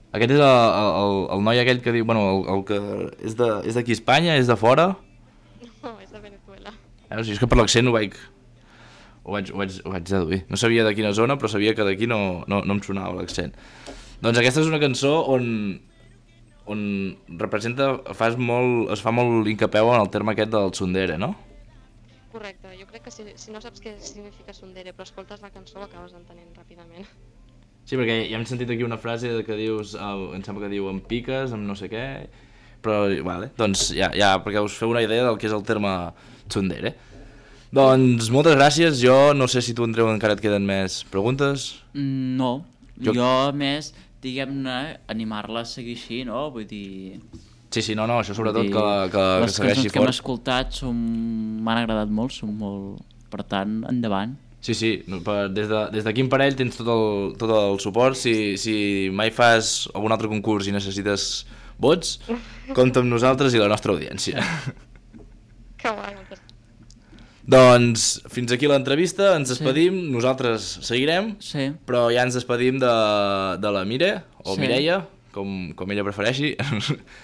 Aquest és el, el, el noi aquell que diu, bueno, el, el que és de- és d'aquí a Espanya, és de fora? No, és de Venezuela. Veus? És que per l'accent ho vaig, ho vaig, ho vaig, ho vaig deduir. No sabia de quina zona, però sabia que d'aquí no, no, no em sonava l'accent. Doncs aquesta és una cançó on, on representa, fas molt, es fa molt incapeu en el terme aquest del tsundere, no? Correcte, jo crec que si, si no saps què significa tsundere, però escoltes la cançó ho acabes entenent ràpidament. Sí, perquè ja hem sentit aquí una frase que dius, uh, em sembla que diu em piques, em no sé què, però vale, doncs ja, ja perquè us feu una idea del que és el terme tsundere. Doncs moltes gràcies, jo no sé si tu, Andreu, encara et queden més preguntes. Mm, No, Jo- jo, jo més, diguem-ne, animar-la a seguir així, no? Vull dir... Sí, sí, no, no, això sobretot vull que, dir, que, que les segueixi cançons que hem fort. escoltat són... m'han agradat molt, són molt... Per tant, endavant. Sí, sí, no, per, des de- des d'aquí de, en parell tens tot el, tot el suport. Si, si mai fas algun altre concurs i necessites vots, compta amb nosaltres i la nostra audiència. Que guai, moltes Doncs fins aquí l'entrevista, ens despedim, nosaltres seguirem, Sí. però ja ens despedim de, de la Mire, o Sí. Mireia, com, com ella prefereixi.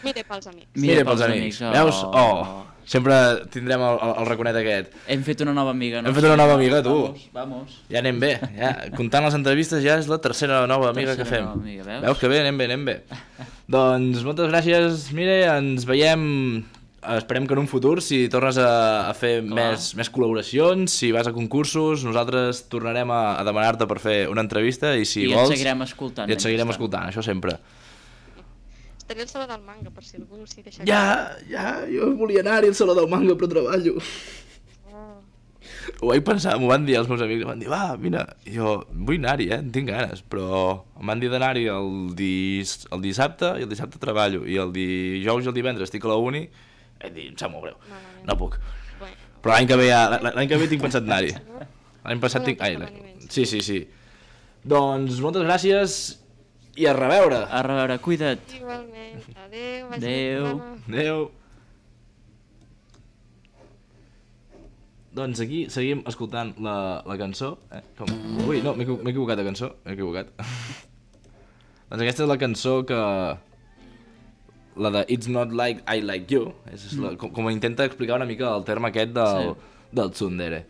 Mire pels amics. Mire pels amics. oh. Veus? Oh, sempre tindrem el, el, el raconet aquest. Hem fet una nova amiga, no? Hem fet una nova amiga, tu. Vamos, vamos. Ja anem bé, ja. Comptant les entrevistes ja és la tercera nova amiga que Tercera fem. nova amiga, veus? Veus que bé, anem bé, anem bé. Doncs moltes gràcies, Mire, ens veiem, esperem que en un futur, si tornes a, a fer més, més col·laboracions, si vas a concursos, nosaltres tornarem a, a demanar-te per fer una entrevista i si I et vols... seguirem escoltant, I et seguirem mentrestant. escoltant, això sempre. Estaré al saló del manga, per si algú s'hi deixa... Ja, ja, jo volia anar-hi al Saló del Manga, però treballo. Oh. Ho vaig pensar, m'ho van dir els meus amics, em van dir, va, vine, I jo vull anar-hi, eh, en tinc ganes, però em van dir d'anar-hi el, dis... el dissabte i el dissabte treballo, i el dijous i el divendres estic a la uni, he dit, em sap molt greu, Malament. no puc. Bueno, Però l'any que ve, ja, l'any que ve tinc pensat anar-hi. L'any passat tinc... Ai, Molts l'any- esdeveniments. sí, sí, sí. Doncs moltes gràcies i a reveure. A reveure, cuida't. igualment. Adéu. vagi Adéu. bé. Adéu. Doncs aquí seguim escoltant la, la cançó. Eh? Com? Ui, no, m'he equivo- m'he equivocat de cançó. M'he equivocat. Doncs aquesta és la cançó que... La de It's Not Like I Like You. És la, com, com intenta explicar una mica el terme aquest del, Sí. del tsundere.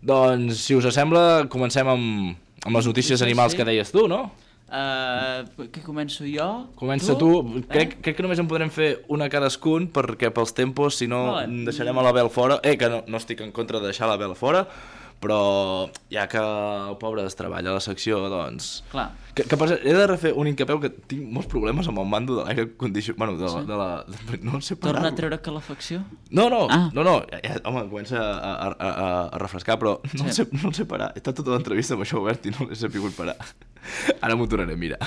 Doncs, si us sembla, comencem amb, amb les notícies Sí, animals sí. que deies tu, no? Uh, què començo jo? Comença tu, tu. Crec, eh? crec que només en podrem fer una cadascun perquè pels tempos, si no vale. Deixarem a l'Abel fora. Eh, que no, no estic en contra de deixar l'Abel fora, però ja que el pobre es treballa a la secció, doncs... Clar. Que, que per, he de refer un incapeu que tinc molts problemes amb el mando de l'aire condicionat. Bueno, de la... Sí. De la de, no sé parar. Torna a treure calefacció? No, no, ah. no, no. Ja, home, comença a, a, a, a refrescar, però no, sí. el sé, no el sé parar. He estat tota l'entrevista amb això obert i no l'he sapigut parar. Ara m'ho tornaré, mira.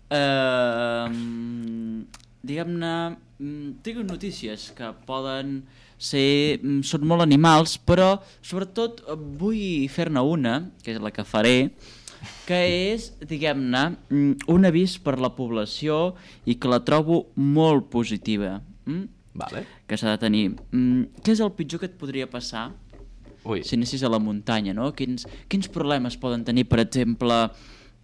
Uh, Diguem-ne, tinc notícies que poden ser... Són molt animals, però sobretot vull fer-ne una, que és la que faré, que és, diguem-ne, un avís per la població i que la trobo molt positiva. Mm? Vale. Que s'ha de tenir. Mm, què és el pitjor que et podria passar Ui. si anessis a la muntanya, no? Quins, quins problemes poden tenir, per exemple,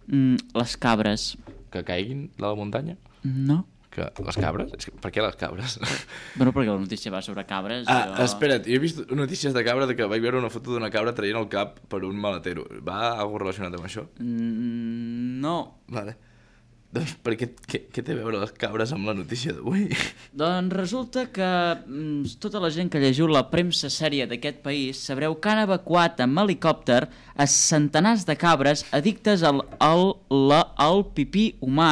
mm, les cabres? Que caiguin de la muntanya? No. Que les cabres? És que, per què les cabres? Bueno, perquè la notícia va sobre cabres. Ah, jo... espera't, jo he vist notícies de cabra de que vaig veure una foto d'una cabra traient el cap per un maletero. Va algo relacionat amb això? Mm, no. Vale. Doncs per què, què, què té a veure les cabres amb la notícia d'avui? Doncs resulta que mm, tota la gent que llegiu la premsa sèria d'aquest país sabreu que han evacuat amb helicòpter a centenars de cabres addictes al, al, la, al pipí humà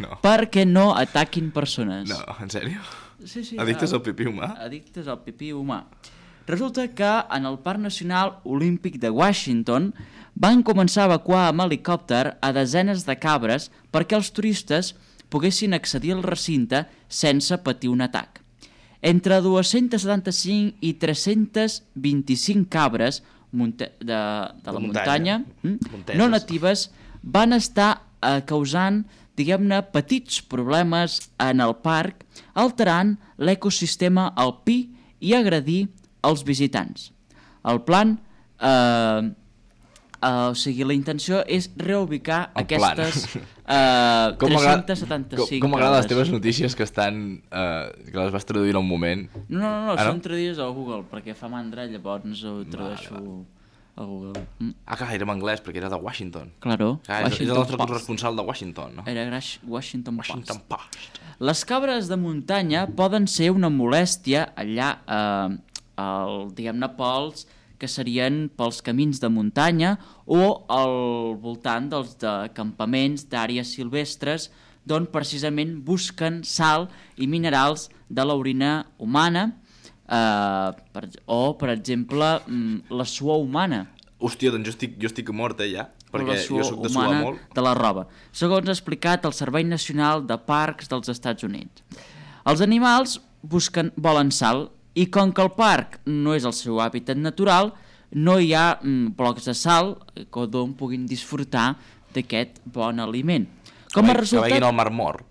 no. perquè no ataquin persones. No, en sèrio? Sí, sí. Addictes al, al pipí humà? Addictes al pipí humà. Resulta que en el Parc Nacional Olímpic de Washington van començar a evacuar amb helicòpter a desenes de cabres perquè els turistes poguessin accedir al recinte sense patir un atac. Entre dos-cents setanta-cinc i tres-cents vint-i-cinc cabres de, de la muntanya, muntanya no natives van estar eh, causant, diguem-ne, petits problemes en el parc, alterant l'ecosistema alpí i agredir els visitants. El plan, eh, eh, o sigui, la intenció és reubicar el aquestes eh, tres-cents setanta-cinc Com m'agraden les teves notícies que estan, eh, que les vas traduir en un moment. No, no, no, ah, són no? traduïdes a Google, perquè fa mandra, llavors ho tradueixo vale, vale. a Google. Mm. Ah, clar, era en anglès, perquè era de Washington. Claro. Clar, és, és el nostre corresponsal de Washington, no? Era Washington, Washington Post. Post. Les cabres de muntanya poden ser una molèstia allà, eh, el, diguem-ne, pels que serien pels camins de muntanya o al voltant dels de campaments d'àrees silvestres d'on precisament busquen sal i minerals de l'orina humana eh, per, o, per exemple, la suor humana. Hòstia, doncs jo estic, jo estic mort, eh, ja, perquè jo soc de suar molt. De la roba, segons ha explicat el Servei Nacional de Parcs dels Estats Units. Els animals busquen, volen sal, i com que el parc no és el seu hàbitat natural, no hi ha mm, blocs de sal d'on puguin disfrutar d'aquest bon aliment. Com que, a resultat... que vegin al Mar Mort.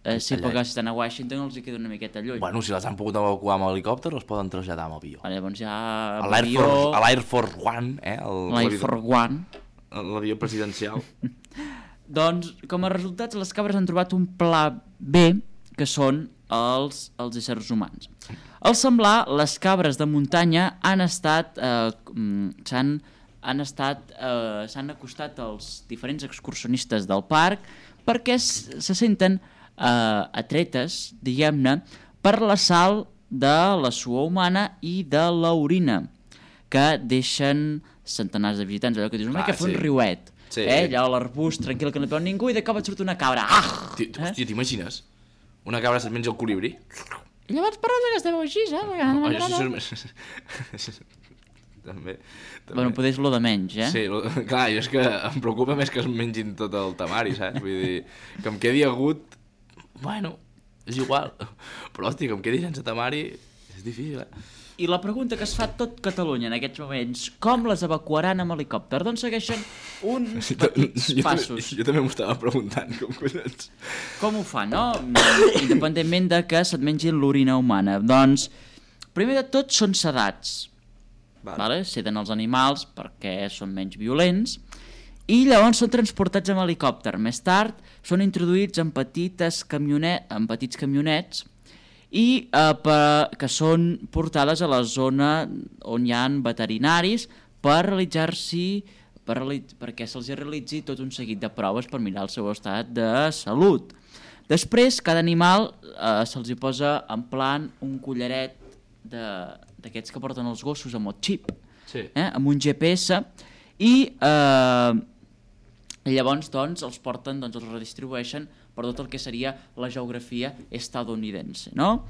Eh, sí, allà. Perquè si estan a Washington els hi queda una miqueta lluny. Bueno, si les han pogut evacuar amb helicòpter, els poden traslladar amb avió. Ah, llavors ja... A l'Air Force, l'Air Force One, eh? L'Air Force One. L'avió presidencial. Doncs, com a resultats, les cabres han trobat un pla B, que són els, els éssers humans. Al semblar, les cabres de muntanya han estat, eh, s'han han estat, eh, s'han acostat als diferents excursionistes del parc perquè se senten eh, atretes, diguem-ne, per la sal de la suor humana i de l'orina que deixen centenars de visitants, allò que dius, una mica fer un riuet, sí. eh? Allà a l'arbust, tranquil, que no et veu ningú, i de cop et surt una cabra. Ah! Hòstia, eh? T'imagines? Una cabra se't menja el colibrí? I llavors parles que esteu així, eh? Oh, jo sí, també, també. Bueno, potser és lo de menys, eh? Sí, lo, clar, jo és que em preocupa més que es mengin tot el tamari, saps? Vull dir, que em quedi agut, bueno, és igual. Però, hòstia, que em quedi sense tamari és difícil, eh? I la pregunta que es fa tot Catalunya en aquests moments, com les evacuaran amb helicòpter? Doncs segueixen uns petits jo, passos. També, jo també m'ho estava preguntant, com collons. Com ho fa, no? Independentment de que se't mengin l'orina humana. Doncs, primer de tot, són sedats. Vale. Vale? Seden els animals perquè són menys violents i llavors són transportats amb helicòpter. Més tard són introduïts en, petites camionet, en petits camionets i eh, per, que són portades a la zona on hi ha veterinaris per realitzar-s'hi per reali- perquè se'ls realitzi tot un seguit de proves per mirar el seu estat de salut. Després, cada animal eh, se'ls hi posa en plan un collaret d'aquests que porten els gossos amb el xip, Sí. eh, amb un G P S, i eh, llavors doncs, els porten, doncs, els redistribueixen per tot el que seria la geografia estadounidense, no?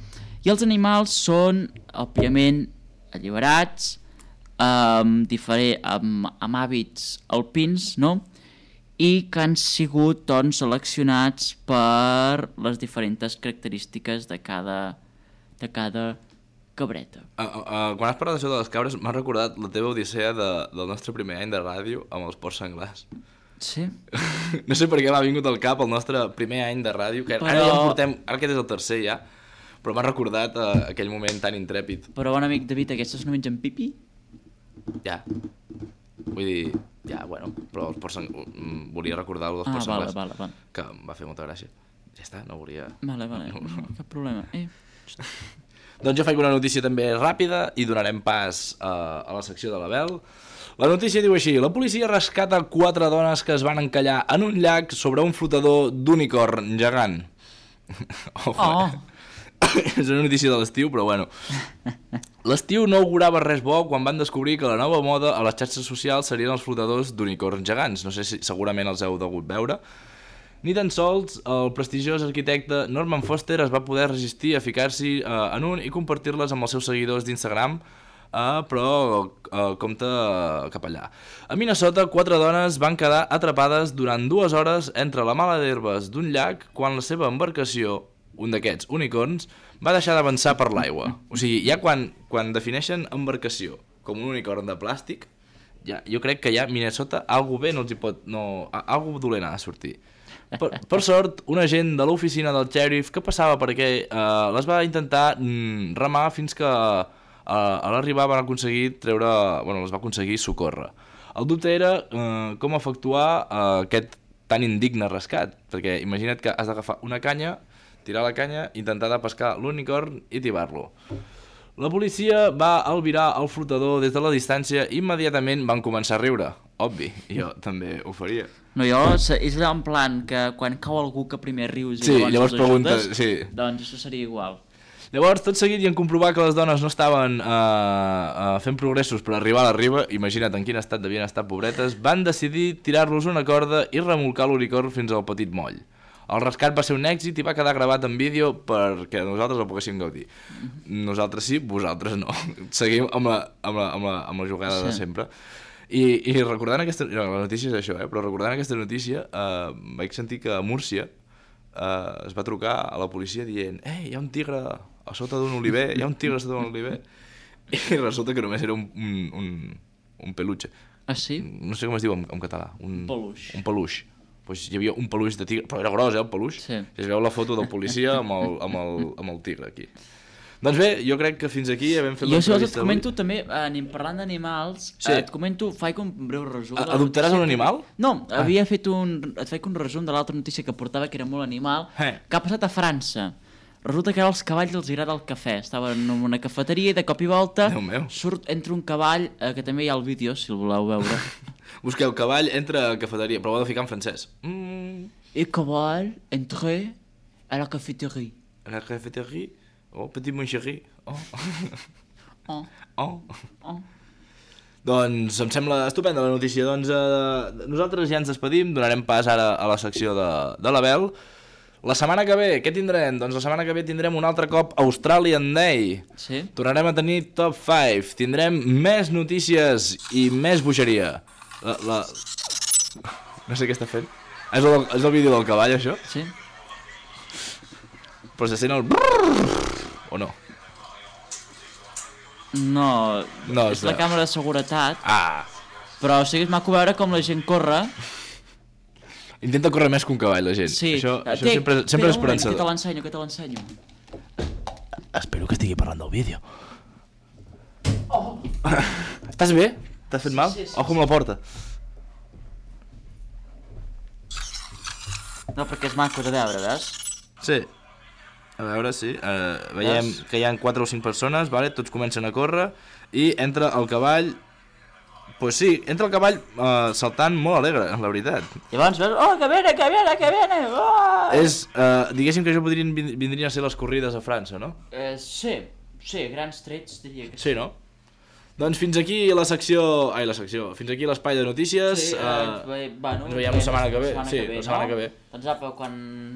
I els animals són, òbviament, alliberats, amb, diferent, amb, amb hàbits alpins, no? I que han sigut doncs, seleccionats per les diferents característiques de cada, de cada cabreta. Uh, uh, uh, quan has parlat d'això de les cabres, m'ha recordat la teva odissea de, del nostre primer any de ràdio amb els porcs senglars. Sí? No sé per què m'ha vingut al cap el nostre primer any de ràdio, que Però- ara ja en portem, ara aquest és el tercer ja, però m'ha recordat uh, aquell moment tan intrèpid. Però, bon amic David, aquestes no mengen pipi? Ja. Vull dir, ja, bueno, però els porcs senglars, volia recordar el dels Ah, porcs vale, senglars, vale, vale. que em va fer molta gràcia. Ja està, no volia... Vale, vale, no, cap problema. Eh. Doncs jo faig una notícia també ràpida i donarem pas uh, a la secció de l'Abel. La notícia diu així: la policia rescata quatre dones que es van encallar en un llac sobre un flotador d'unicorn gegant. Oh! Oh. És una notícia de l'estiu, però bueno. L'estiu no augurava res bo quan van descobrir que la nova moda a les xarxes socials serien els flotadors d'unicorns gegants. No sé si segurament els heu degut veure. Ni tan sols el prestigiós arquitecte Norman Foster es va poder resistir a ficar-s'hi uh, en un i compartir-les amb els seus seguidors d'Instagram, uh, però uh, compte uh, cap allà. A Minnesota, quatre dones van quedar atrapades durant dues hores entre la mala d'herbes d'un llac quan la seva embarcació, un d'aquests unicorns, va deixar d'avançar per l'aigua. O sigui, ja quan, quan defineixen embarcació com un unicorn de plàstic, ja, jo crec que ja Minnesota algú bé no els hi pot... No, algú dolent ha de sortir. Per, per sort, un agent de l'oficina del xèrif que passava per aquí eh, les va intentar mm, remar fins que eh, a l'arribar van aconseguir treure... Bueno, les va aconseguir socórrer. El dubte era eh, com efectuar eh, aquest tan indigne rescat, perquè imagina't que has d'agafar una canya, tirar la canya, intentar de pescar l'unicorn i tibar-lo. La policia va albirar el flotador des de la distància i immediatament van començar a riure. Obvi, jo també ho faria. No, jo, és allò en plan que quan cau algú que primer rius i Sí, llavors, llavors els pregunta, ajudes, sí. doncs això seria igual. Llavors, tot seguit i en comprovar que les dones no estaven uh, uh, fent progressos per arribar a la riba, imagina't en quin estat devien estar pobretes, van decidir tirar-los una corda i remolcar l'unicorn fins al petit moll. El rescat va ser un èxit i va quedar gravat en vídeo perquè nosaltres el poguéssim gaudir. Nosaltres sí, vosaltres no. Seguim amb la, amb la, amb la, amb la jugada sí. de sempre. I, i recordant aquesta... No, la notícia és això, eh? Però recordant aquesta notícia eh, vaig sentir que a Múrcia eh, es va trucar a la policia dient «Ei, hi ha un tigre a sota d'un oliver, hi ha un tigre a sota d'un oliver». I resulta que només era un, un, un, un peluche. Ah, sí? No sé com es diu en, en català. Un peluix. Un peluix. Pues hi havia un peluix de tigre, però era gros, eh, el peluix. Sí. I es veu la foto del policia amb el, amb el, amb el tigre aquí. Doncs bé, jo crec que fins aquí hem fet Jo si vols et l'entrevista comento també, anem parlant d'animals, Sí. eh, et comento, faig un breu resum. de la Adoptaràs notícia un que- animal? No, havia fet un, et faig un resum de l'altra notícia que portava, que era molt animal, Eh. que ha passat a França. Resulta que ara als cavalls els agrada el cafè. Estaven en una cafeteria i de cop i volta Déu meu. surt entre un cavall, eh, que també hi ha el vídeo, si el voleu veure. Busqueu cavall, entra a cafeteria, però ho heu de ficar en francès. Mm, Et cavall entre a la cafeteria. a la cafeteria, oh, petit mon chéri, oh. Oh, oh. oh. Doncs em sembla estupenda la notícia. Doncs eh, nosaltres ja ens despedim, donarem pas ara a la secció de, de l'Abel. La setmana que ve, què tindrem? Doncs la setmana que ve tindrem un altre cop Australian Day. Sí? Tornarem a tenir Top cinc. Tindrem més notícies i més bogeria. La, la... No sé què està fent. És el, és el vídeo del cavall, això? Sí? Però se sent el... brrrr, o no? No, No, és la espera. càmera de seguretat, Ah! però o sigui, és maco veure com la gent corre. Intenta córrer més que un cavall, la gent. Sí. Això, Eh, això té- sempre, té sempre és un moment, esperançador. Que te l'ensenyo, que te l'ensenyo. Espero que estigui parlant del vídeo. Oh. Estàs bé? T'has fet mal? sí, sí, Ojo amb la porta. No, perquè és maco de veure, veus? Sí. A veure, sí. Uh, veiem que hi ha quatre o cinc persones, vale? Tots comencen a córrer i entra el cavall pues sí, entra el cavall uh, saltant molt alegre, la veritat. I abans veus, oh, que viene, que viene, que viene, oh! És, uh, diguéssim que això podrien, vindrien a ser les corrides a França, no? Eh, sí, sí, grans trets diria que sí. Sí, no? Doncs fins aquí la secció... Ai, la secció. Fins aquí l'espai de notícies. Sí, uh, eh, bueno, ens veiem la setmana que ve. setmana Sí, que ve, la setmana no? que ve. Doncs apa, quan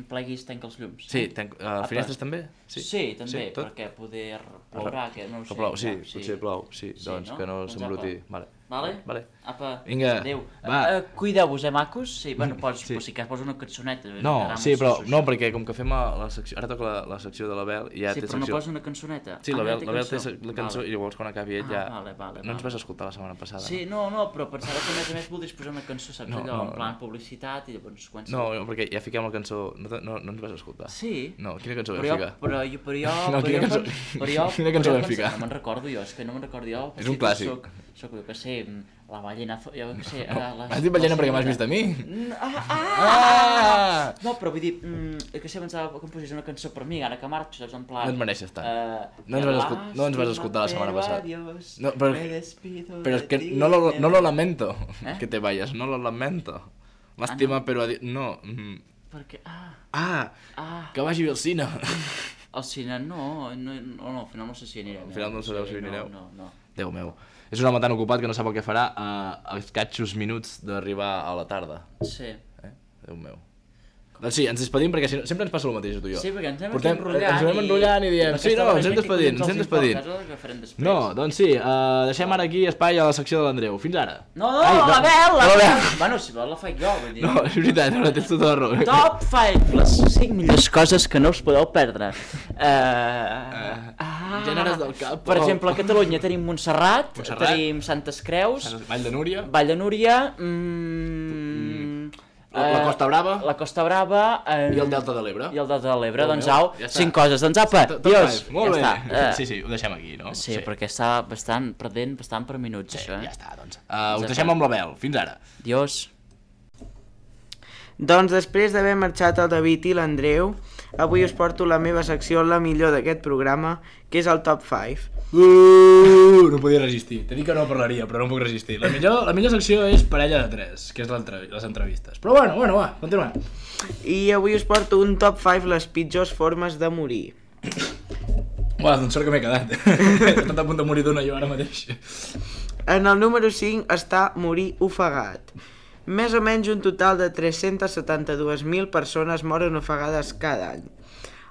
pleguis tanca els llums. Sí, tenc, uh, finestres també? Sí, sí també, sí, tot? perquè poder plourà, que no ho sé. Que plou, sí, ja, sí, potser plou, sí, Sí, doncs no? que no Doncs s'embruti. apa. Vale. Vale? Vale. Apa, Vinga, adéu. va. Uh, Cuideu-vos, eh, macos? Sí, bueno, pots, Sí. sí. si cas pots una cançoneta. No, Ara sí, mos- però sus- no, perquè com que fem a la secció... Ara toca la, la secció de l'Abel i ja Sí, té però no secció... posa una cançoneta. Sí, Ah, l'Abel ja té l'Abel té cançó. la cançó Vale. i llavors quan acabi ell Ah, ja... vale, vale, no ens vale. vas escoltar la setmana passada. Sí, no, no, però pensava que a més a més voldries posar una cançó, saps, No, allò, no, en plan no. publicitat i llavors quan... No, no, perquè ja fiquem la cançó... No, te- no, no ens vas escoltar. Sí? No, quina cançó vam Però jo, ficar? però jo, però jo, No, però quina jo, cançó- però jo, quina cançó però jo vam ficar? pensava- No me'n recordo jo, és que no me'n recordo jo. És un potser clàssic. Soc, soc, jo què sé, la ballena, jo què sé... No, la, Has dit ballena perquè m'has vist a mi? Ah, ah, Ah! No, però vull dir, mm, que sé, pensava que em posés una cançó per mi, ara que marxo, saps, en plan... No et mereixes tant. Uh, No ens vas escol- no ens vas escoltar la setmana passada. No, però- Pero es que no lo, no lo lamento ¿Eh? que te vayas, no lo lamento. Lástima, Ah, no. pero... adi- No. mm. Perquè, ah, Ah, ah... que vagi bé al cine. Al cine no, no, no, no, al final no sé si anirem. Al final no sabeu Sí, si anireu? No, no, no. Déu meu. És un home tan ocupat que no sap el que farà a, a escatxos minuts d'arribar a la tarda. Sí. Eh? Déu meu. Doncs sí, ens despedim perquè si no, sempre ens passa el mateix a tu i jo. Sí, perquè ens anem Portem- aquí enrotllant ens anem enrotllant i diem, sí, no, ens hem despedint, ens hem despedint. No, doncs sí, uh, deixem ara aquí espai a la secció de l'Andreu. Fins ara. No, no, Ai, la no, Bel, la no, Bel. Bel. Bueno, si vol la faig jo, vull dir. No, és veritat, ara tens tota la raó. Top cinc, les cinc millors coses que no us podeu perdre. Uh, ah, gèneres del cap. Per exemple, a Catalunya tenim Montserrat, Montserrat. tenim Santes Creus, Vall de Núria, Vall de Núria, mm, la, la eh, Costa Brava la Costa Brava eh, i el Delta de l'Ebre. i el Delta de l'Ebre. Déu Doncs meu, au, ja està. cinc coses. Doncs apa, Top- top dios, five, molt ja bé. està. Eh, Sí, sí, ho deixem aquí, no? Sí, perquè està bastant perdent, bastant per minuts, Sí, això, eh? ja està, doncs. Uh, us Ja deixem està. amb l'Abel. Fins ara. Dios. Doncs després d'haver marxat el David i l'Andreu, avui us porto la meva secció, la millor d'aquest programa, que és el Top cinc. Uh, no podia resistir. T'he dit que no parlaria, però no puc resistir. La millor, la millor secció és Parella de tres, que és les entrevistes. Però bueno, bueno, va, continuem. I avui us porto un Top cinc les pitjors formes de morir. Uah, doncs sort que m'he quedat. He estat a punt de morir d'una jo ara mateix. En el número cinc està morir ofegat. Més o menys un total de tres-centes setanta-dues mil persones moren ofegades cada any.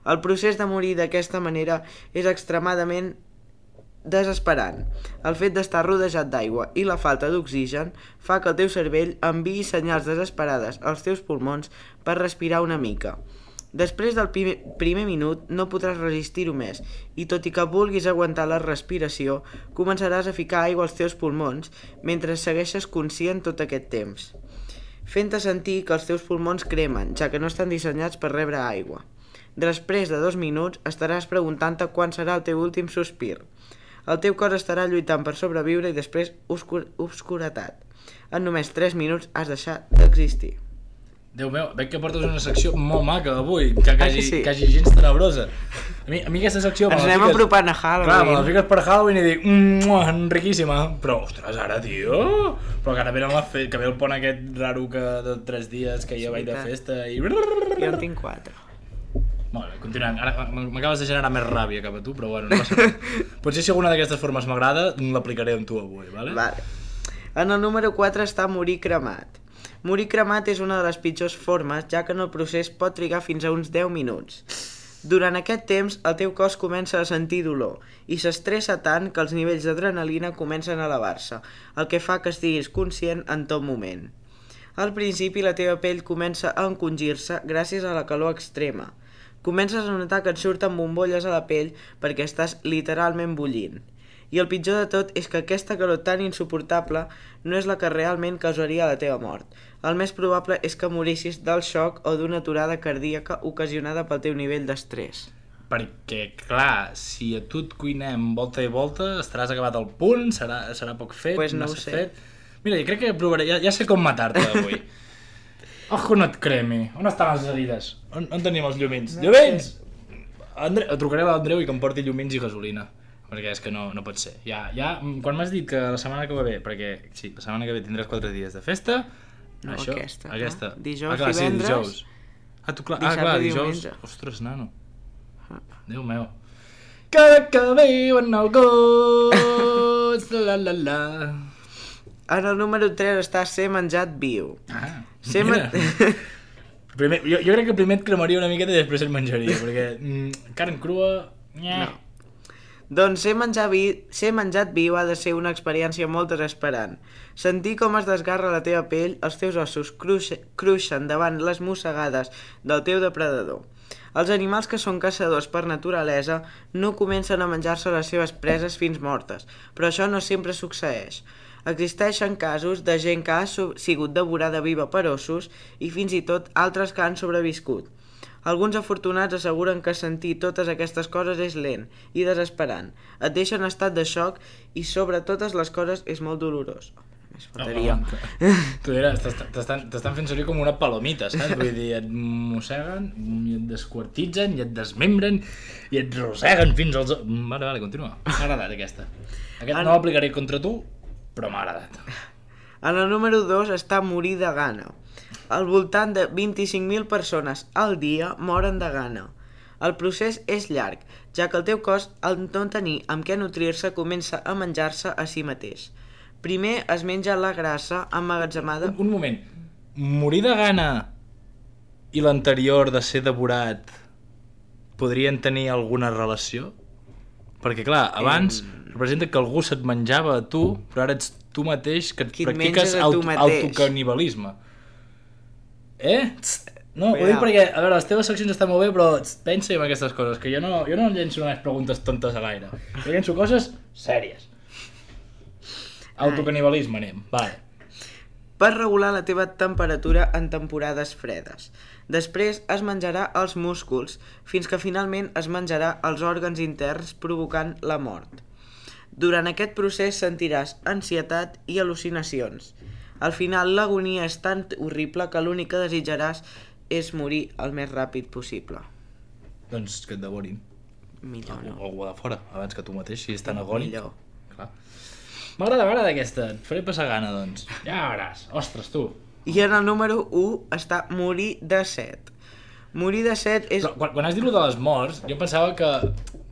El procés de morir d'aquesta manera és extremadament desesperant. El fet d'estar rodejat d'aigua i la falta d'oxigen fa que el teu cervell enviï senyals desesperades als teus pulmons per respirar una mica. Després del primer, primer minut no podràs resistir-ho més i tot i que vulguis aguantar la respiració, començaràs a ficar aigua als teus pulmons mentre segueixes conscient tot aquest temps, fent-te sentir que els teus pulmons cremen, ja que no estan dissenyats per rebre aigua. Després de dos minuts estaràs preguntant-te quan serà el teu últim sospir. El teu cos estarà lluitant per sobreviure i després obscur obscuretat. En només tres minuts has deixat d'existir. Déu meu, veig que portes una secció molt maca avui, que Ah, quasi, que sí? quasi gens tenebrosa. A mi, a mi aquesta secció... me Ens la anem fiques- apropant a Clar, me la Halloween. fiques per Halloween i dic, mmm, riquíssima. Però, ostres, ara, tio... Però que ara ve, la fe... que ve el pont aquest raro que de tres dies que jo vaig de veritat. festa i... Jo en tinc quatre. Molt bé, continuem. Ara m'acabes de generar més ràbia cap a tu, però bueno, no passa res. Potser si alguna d'aquestes formes m'agrada, l'aplicaré amb tu avui, vale? Vale. En el número quatre està morir cremat. Morir cremat és una de les pitjors formes, ja que en el procés pot trigar fins a uns deu minuts. Durant aquest temps, el teu cos comença a sentir dolor i s'estressa tant que els nivells d'adrenalina comencen a elevar-se, el que fa que estiguis conscient en tot moment. Al principi, la teva pell comença a encongir-se gràcies a la calor extrema. Comences a notar que et surten bombolles a la pell perquè estàs literalment bullint. I el pitjor de tot és que aquesta calor tan insuportable no és la que realment causaria la teva mort. El més probable és que morissis del xoc o d'una aturada cardíaca ocasionada pel teu nivell d'estrès. Perquè, clar, si a tu et cuinem volta i volta, estaràs acabat al punt, serà, serà poc fet, Pues no ho massa sé. fet... Mira, jo crec que provaré, ja, ja sé com matar-te avui. Ojo, no et cremi. On estan les herides? On, on tenim els llumins? No llumins! Andre... Trucaré a l'Andreu i que em porti llumins i gasolina. perquè és que no, no pot ser. Ja, ja, quan m'has dit que la setmana que ve, perquè sí, la setmana que ve tindràs quatre dies de festa, No, això, aquesta. aquesta. Ah, dijous, ah, clar, divendres, sí, dijous. Ah, tu, clar, ah, dissabte, clar, dijous. diumenge. Ostres, nano. Déu meu. Cada que viu en el gust, la la la. En el número tres està ser menjat viu. Ah, Ser mira. men... Primer, jo, jo crec que primer et cremaria una miqueta i després et menjaria, perquè mm, carn crua... Nye. No. Doncs ser, menjar vi... ser menjat viu ha de ser una experiència molt desesperant. Sentir com es desgarra la teva pell, els teus ossos cruix... cruixen davant les mossegades del teu depredador. Els animals que són caçadors per naturalesa no comencen a menjar-se les seves preses fins mortes, però això no sempre succeeix. Existeixen casos de gent que ha sigut devorada viva per ossos i fins i tot altres que han sobreviscut. Alguns afortunats asseguren que sentir totes aquestes coses és lent i desesperant. Et deixa en estat de xoc i sobre totes les coses és molt dolorós. Més faltaria. No, tu diràs, t'estan fent servir com una palomita, saps? Vull dir, et mosseguen, i et desquartitzen, i et desmembren, i et roseguen fins als... Vale, vale, continua. M'ha agradat aquesta. Aquest no l'aplicaré contra tu, però m'ha agradat. En el número dos està morir de gana. Al voltant de vint-i-cinc mil persones al dia moren de gana. El procés és llarg, ja que el teu cos, al no tenir amb què nutrir-se, comença a menjar-se a si mateix. Primer es menja la grassa emmagatzemada... Un, un moment. Morir de gana i l'anterior de ser devorat podrien tenir alguna relació? Perquè, clar, abans eh... representa que algú se't menjava a tu, però ara ets tu mateix que et Qui et practiques menges a tu auto, mateix. autocanibalisme. Eh? Tst, no, ho Cuidao. dic perquè, a veure, les teves seccions estan molt bé, però tst, pensa en aquestes coses, que jo no, jo no llenço unes preguntes tontes a l'aire. Jo llenço coses sèries. Autocanibalisme anem, vale. Per regular la teva temperatura en temporades fredes. Després es menjarà els músculs, fins que finalment es menjarà els òrgans interns provocant la mort. Durant aquest procés sentiràs ansietat i al·lucinacions. Al final l'agonia és tan horrible que l'únic que desitjaràs és morir el més ràpid possible. Doncs que et devorin. Millor no. Algú de fora, abans que tu mateix, si és tan agònic. Millor. Clar. M'agrada, m'agrada aquesta. Et faré passar gana, doncs. Ja veuràs. Ostres, tu. I en el número u està morir de set. Morir de set és... Però, quan, quan has dit lo de les morts, jo pensava que,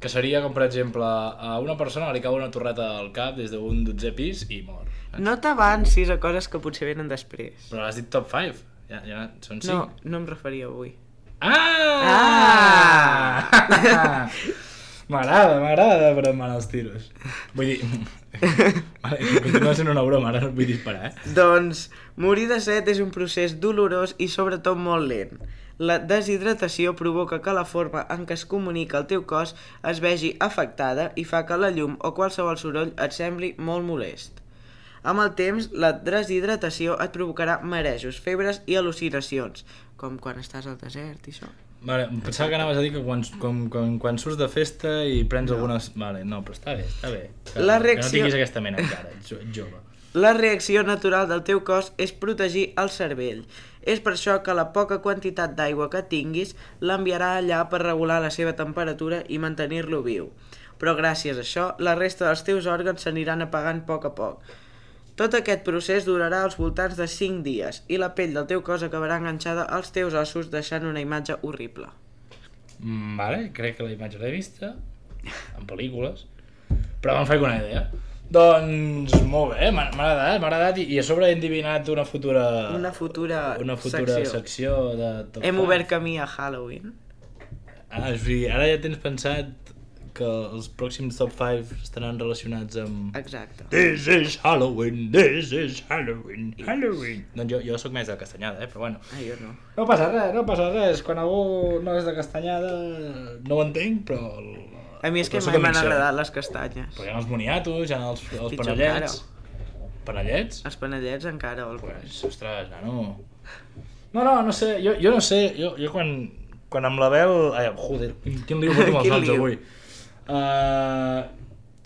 que seria com, per exemple, a una persona li cau una torreta al cap des d'un dotzè pis i mor. No t'avancis a coses que potser venen després. Però has dit top cinc. Ja, ja són cinc. No, no em referia avui. Ah! Ah! M'agrada, m'agrada, però em van els tiros. Vull dir... Vale, continua sent una broma, ara no et vull disparar, eh? Doncs, morir de set és un procés dolorós i sobretot molt lent. La deshidratació provoca que la forma en què es comunica el teu cos es vegi afectada i fa que la llum o qualsevol soroll et sembli molt molest. Amb el temps, la deshidratació et provocarà marejos, febres i al·lucinacions, com quan estàs al desert i això. Vale, em pensava que anaves a dir que quan, quan, quan, quan surts de festa i prens no. algunes... Vale, no, però està bé, està bé. Que, La reacció... que no tinguis aquesta mena encara, ets jove. La reacció natural del teu cos és protegir el cervell. És per això que la poca quantitat d'aigua que tinguis l'enviarà allà per regular la seva temperatura i mantenir-lo viu. Però gràcies a això, la resta dels teus òrgans s'aniran apagant a poc a poc. Tot aquest procés durarà als voltants de cinc dies i la pell del teu cos acabarà enganxada als teus ossos deixant una imatge horrible. Mm, vale, crec que la imatge l'he vista en pel·lícules, però me'n faig una idea. Doncs molt bé, m'ha agradat, m'ha agradat i, i a sobre he endivinat una futura... Una futura, una futura secció. secció de top Hem five. obert camí a Halloween. Ah, o sigui, ara ja tens pensat que els pròxims top cinc estaran relacionats amb... Exacte. This is Halloween, this is Halloween, Halloween. Doncs jo, jo sóc més de Castanyada, eh? Però bueno. Ah, jo no. No passa res, no passa res. Quan algú no és de Castanyada no ho entenc, però... A mi és que mai m'han agradat les castanyes. Però hi ha els moniatos, hi ha els, els Pitjor panellets. Panellets? Els panellets encara. El... Pues, ostres, nano. No, no, no sé, jo, jo no sé, jo, jo quan, quan amb l'Abel... Ai, joder, quin lío porto amb els noms avui. Uh,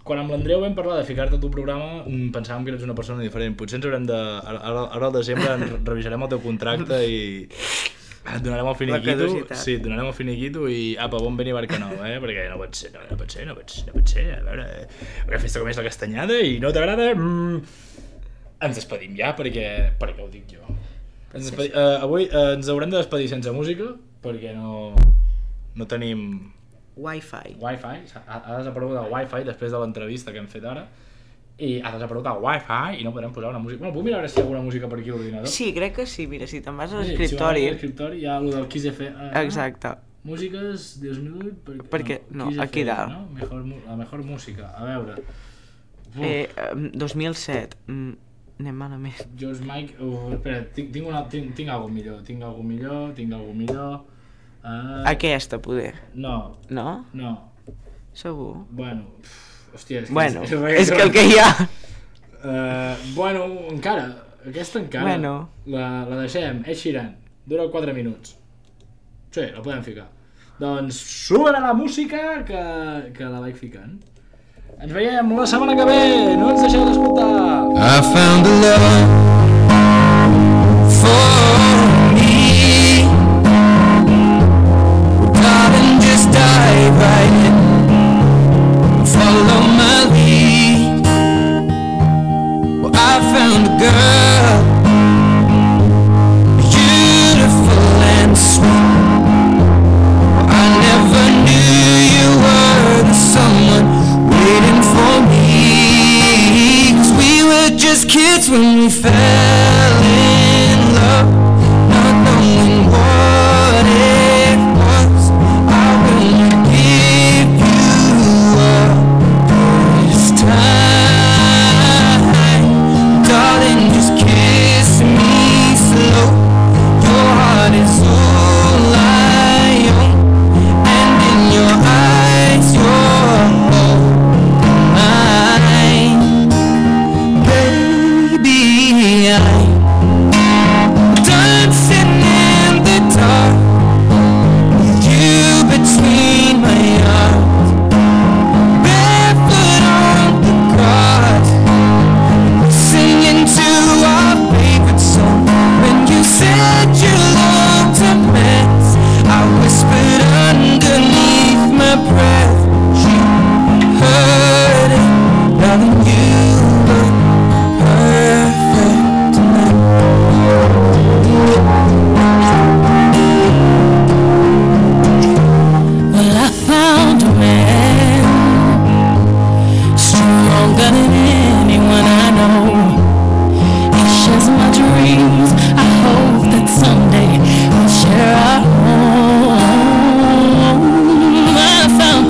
quan amb l'Andreu vam parlar de ficar-te a tu programa pensàvem que eres una persona diferent. Potser ens haurem de... Ara, ara al desembre ens revisarem el teu contracte i... Et donarem el La finiquito, caducitat. sí, et donarem el finiquito i apa, bon venir a Barcanou, eh? Perquè no pot ser, no, no pot ser, no pot ser, no pot ser, a veure, una festa com és la castanyada i no t'agrada, mm, ens despedim ja perquè, perquè ho dic jo. Ens despedi, uh, avui uh, ens haurem de despedir sense música perquè no, no tenim Wi-Fi. Wi-Fi, ha, ha desaparegut el Wi-Fi després de l'entrevista que hem fet ara i ha desaparegut el Wi-Fi i no podem posar una música. Bueno, puc mirar a veure si hi ha alguna música per aquí a l'ordinador? Sí, crec que sí, mira, si te'n vas a Sí, l'escriptori... Si vas a l'escriptori hi ha el del Kiss F M. Ah, Exacte. músiques dos mil vuit... Per, Perquè- no, Kiss aquí F M, dalt. No? Mejor, mu- la mejor música, a veure. Uf, Eh, em, dos mil set, mm, anem malament. George Mike... Uf, espera, tinc, tinc, una, tinc, tinc alguna millor, tinc alguna millor, tinc alguna millor... Uh, Aquesta, poder. No, No? no, Segur? bueno... Uf, hòstia, és que... Bueno, és, és que el que hi ha... Uh, bueno, encara, aquesta encara, Bueno. la, la deixem, Ed Sheeran, dura quatre minuts. Sí, la podem ficar. Doncs sube la música que, que la vaig ficant. Ens veiem la setmana que ve, no ens deixeu d'escoltar. I found a love for me. Well, darling, just dive right in. Follow my lead. Well, I found a girl, beautiful and sweet. Well, I never knew you were the someone waiting for me. 'Cause we were just kids when we fell in love, not knowing what it was. I will not give you up this time, darling, just kiss me slow. Your heart is all I own, and in your eyes you're all mine. Baby, I'm dancing in the dark with you between my arms, barefoot on the grass, singing to our favorite song. When you said you loved a mess, I whispered underneath my breath. You heard it, darling, you look perfect tonight. Well, I found a man stronger than anyone I know. He shares my dreams. I hope that someday we'll share our home. I found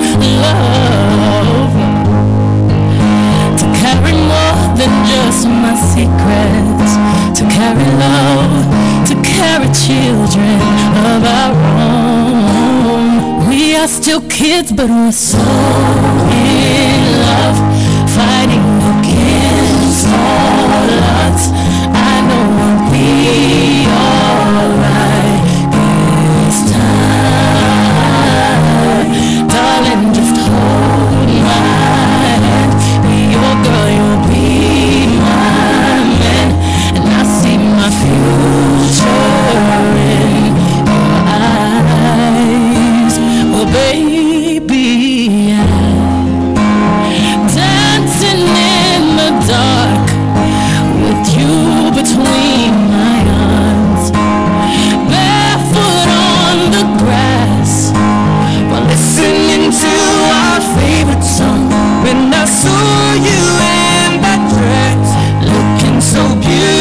love to carry more than just my secrets, to carry love, to carry children of our own. We are still kids, but we're so in love, fighting against all odds. I know we'll be alright this time. Darling, just hold my hand. Be your girl, you'll be my man. And I see my future in your eyes. Well, baby, I'm dancing in the dark with you between my arms, barefoot on the grass, while listening to our favorite song. When I saw you in that dress, looking so beautiful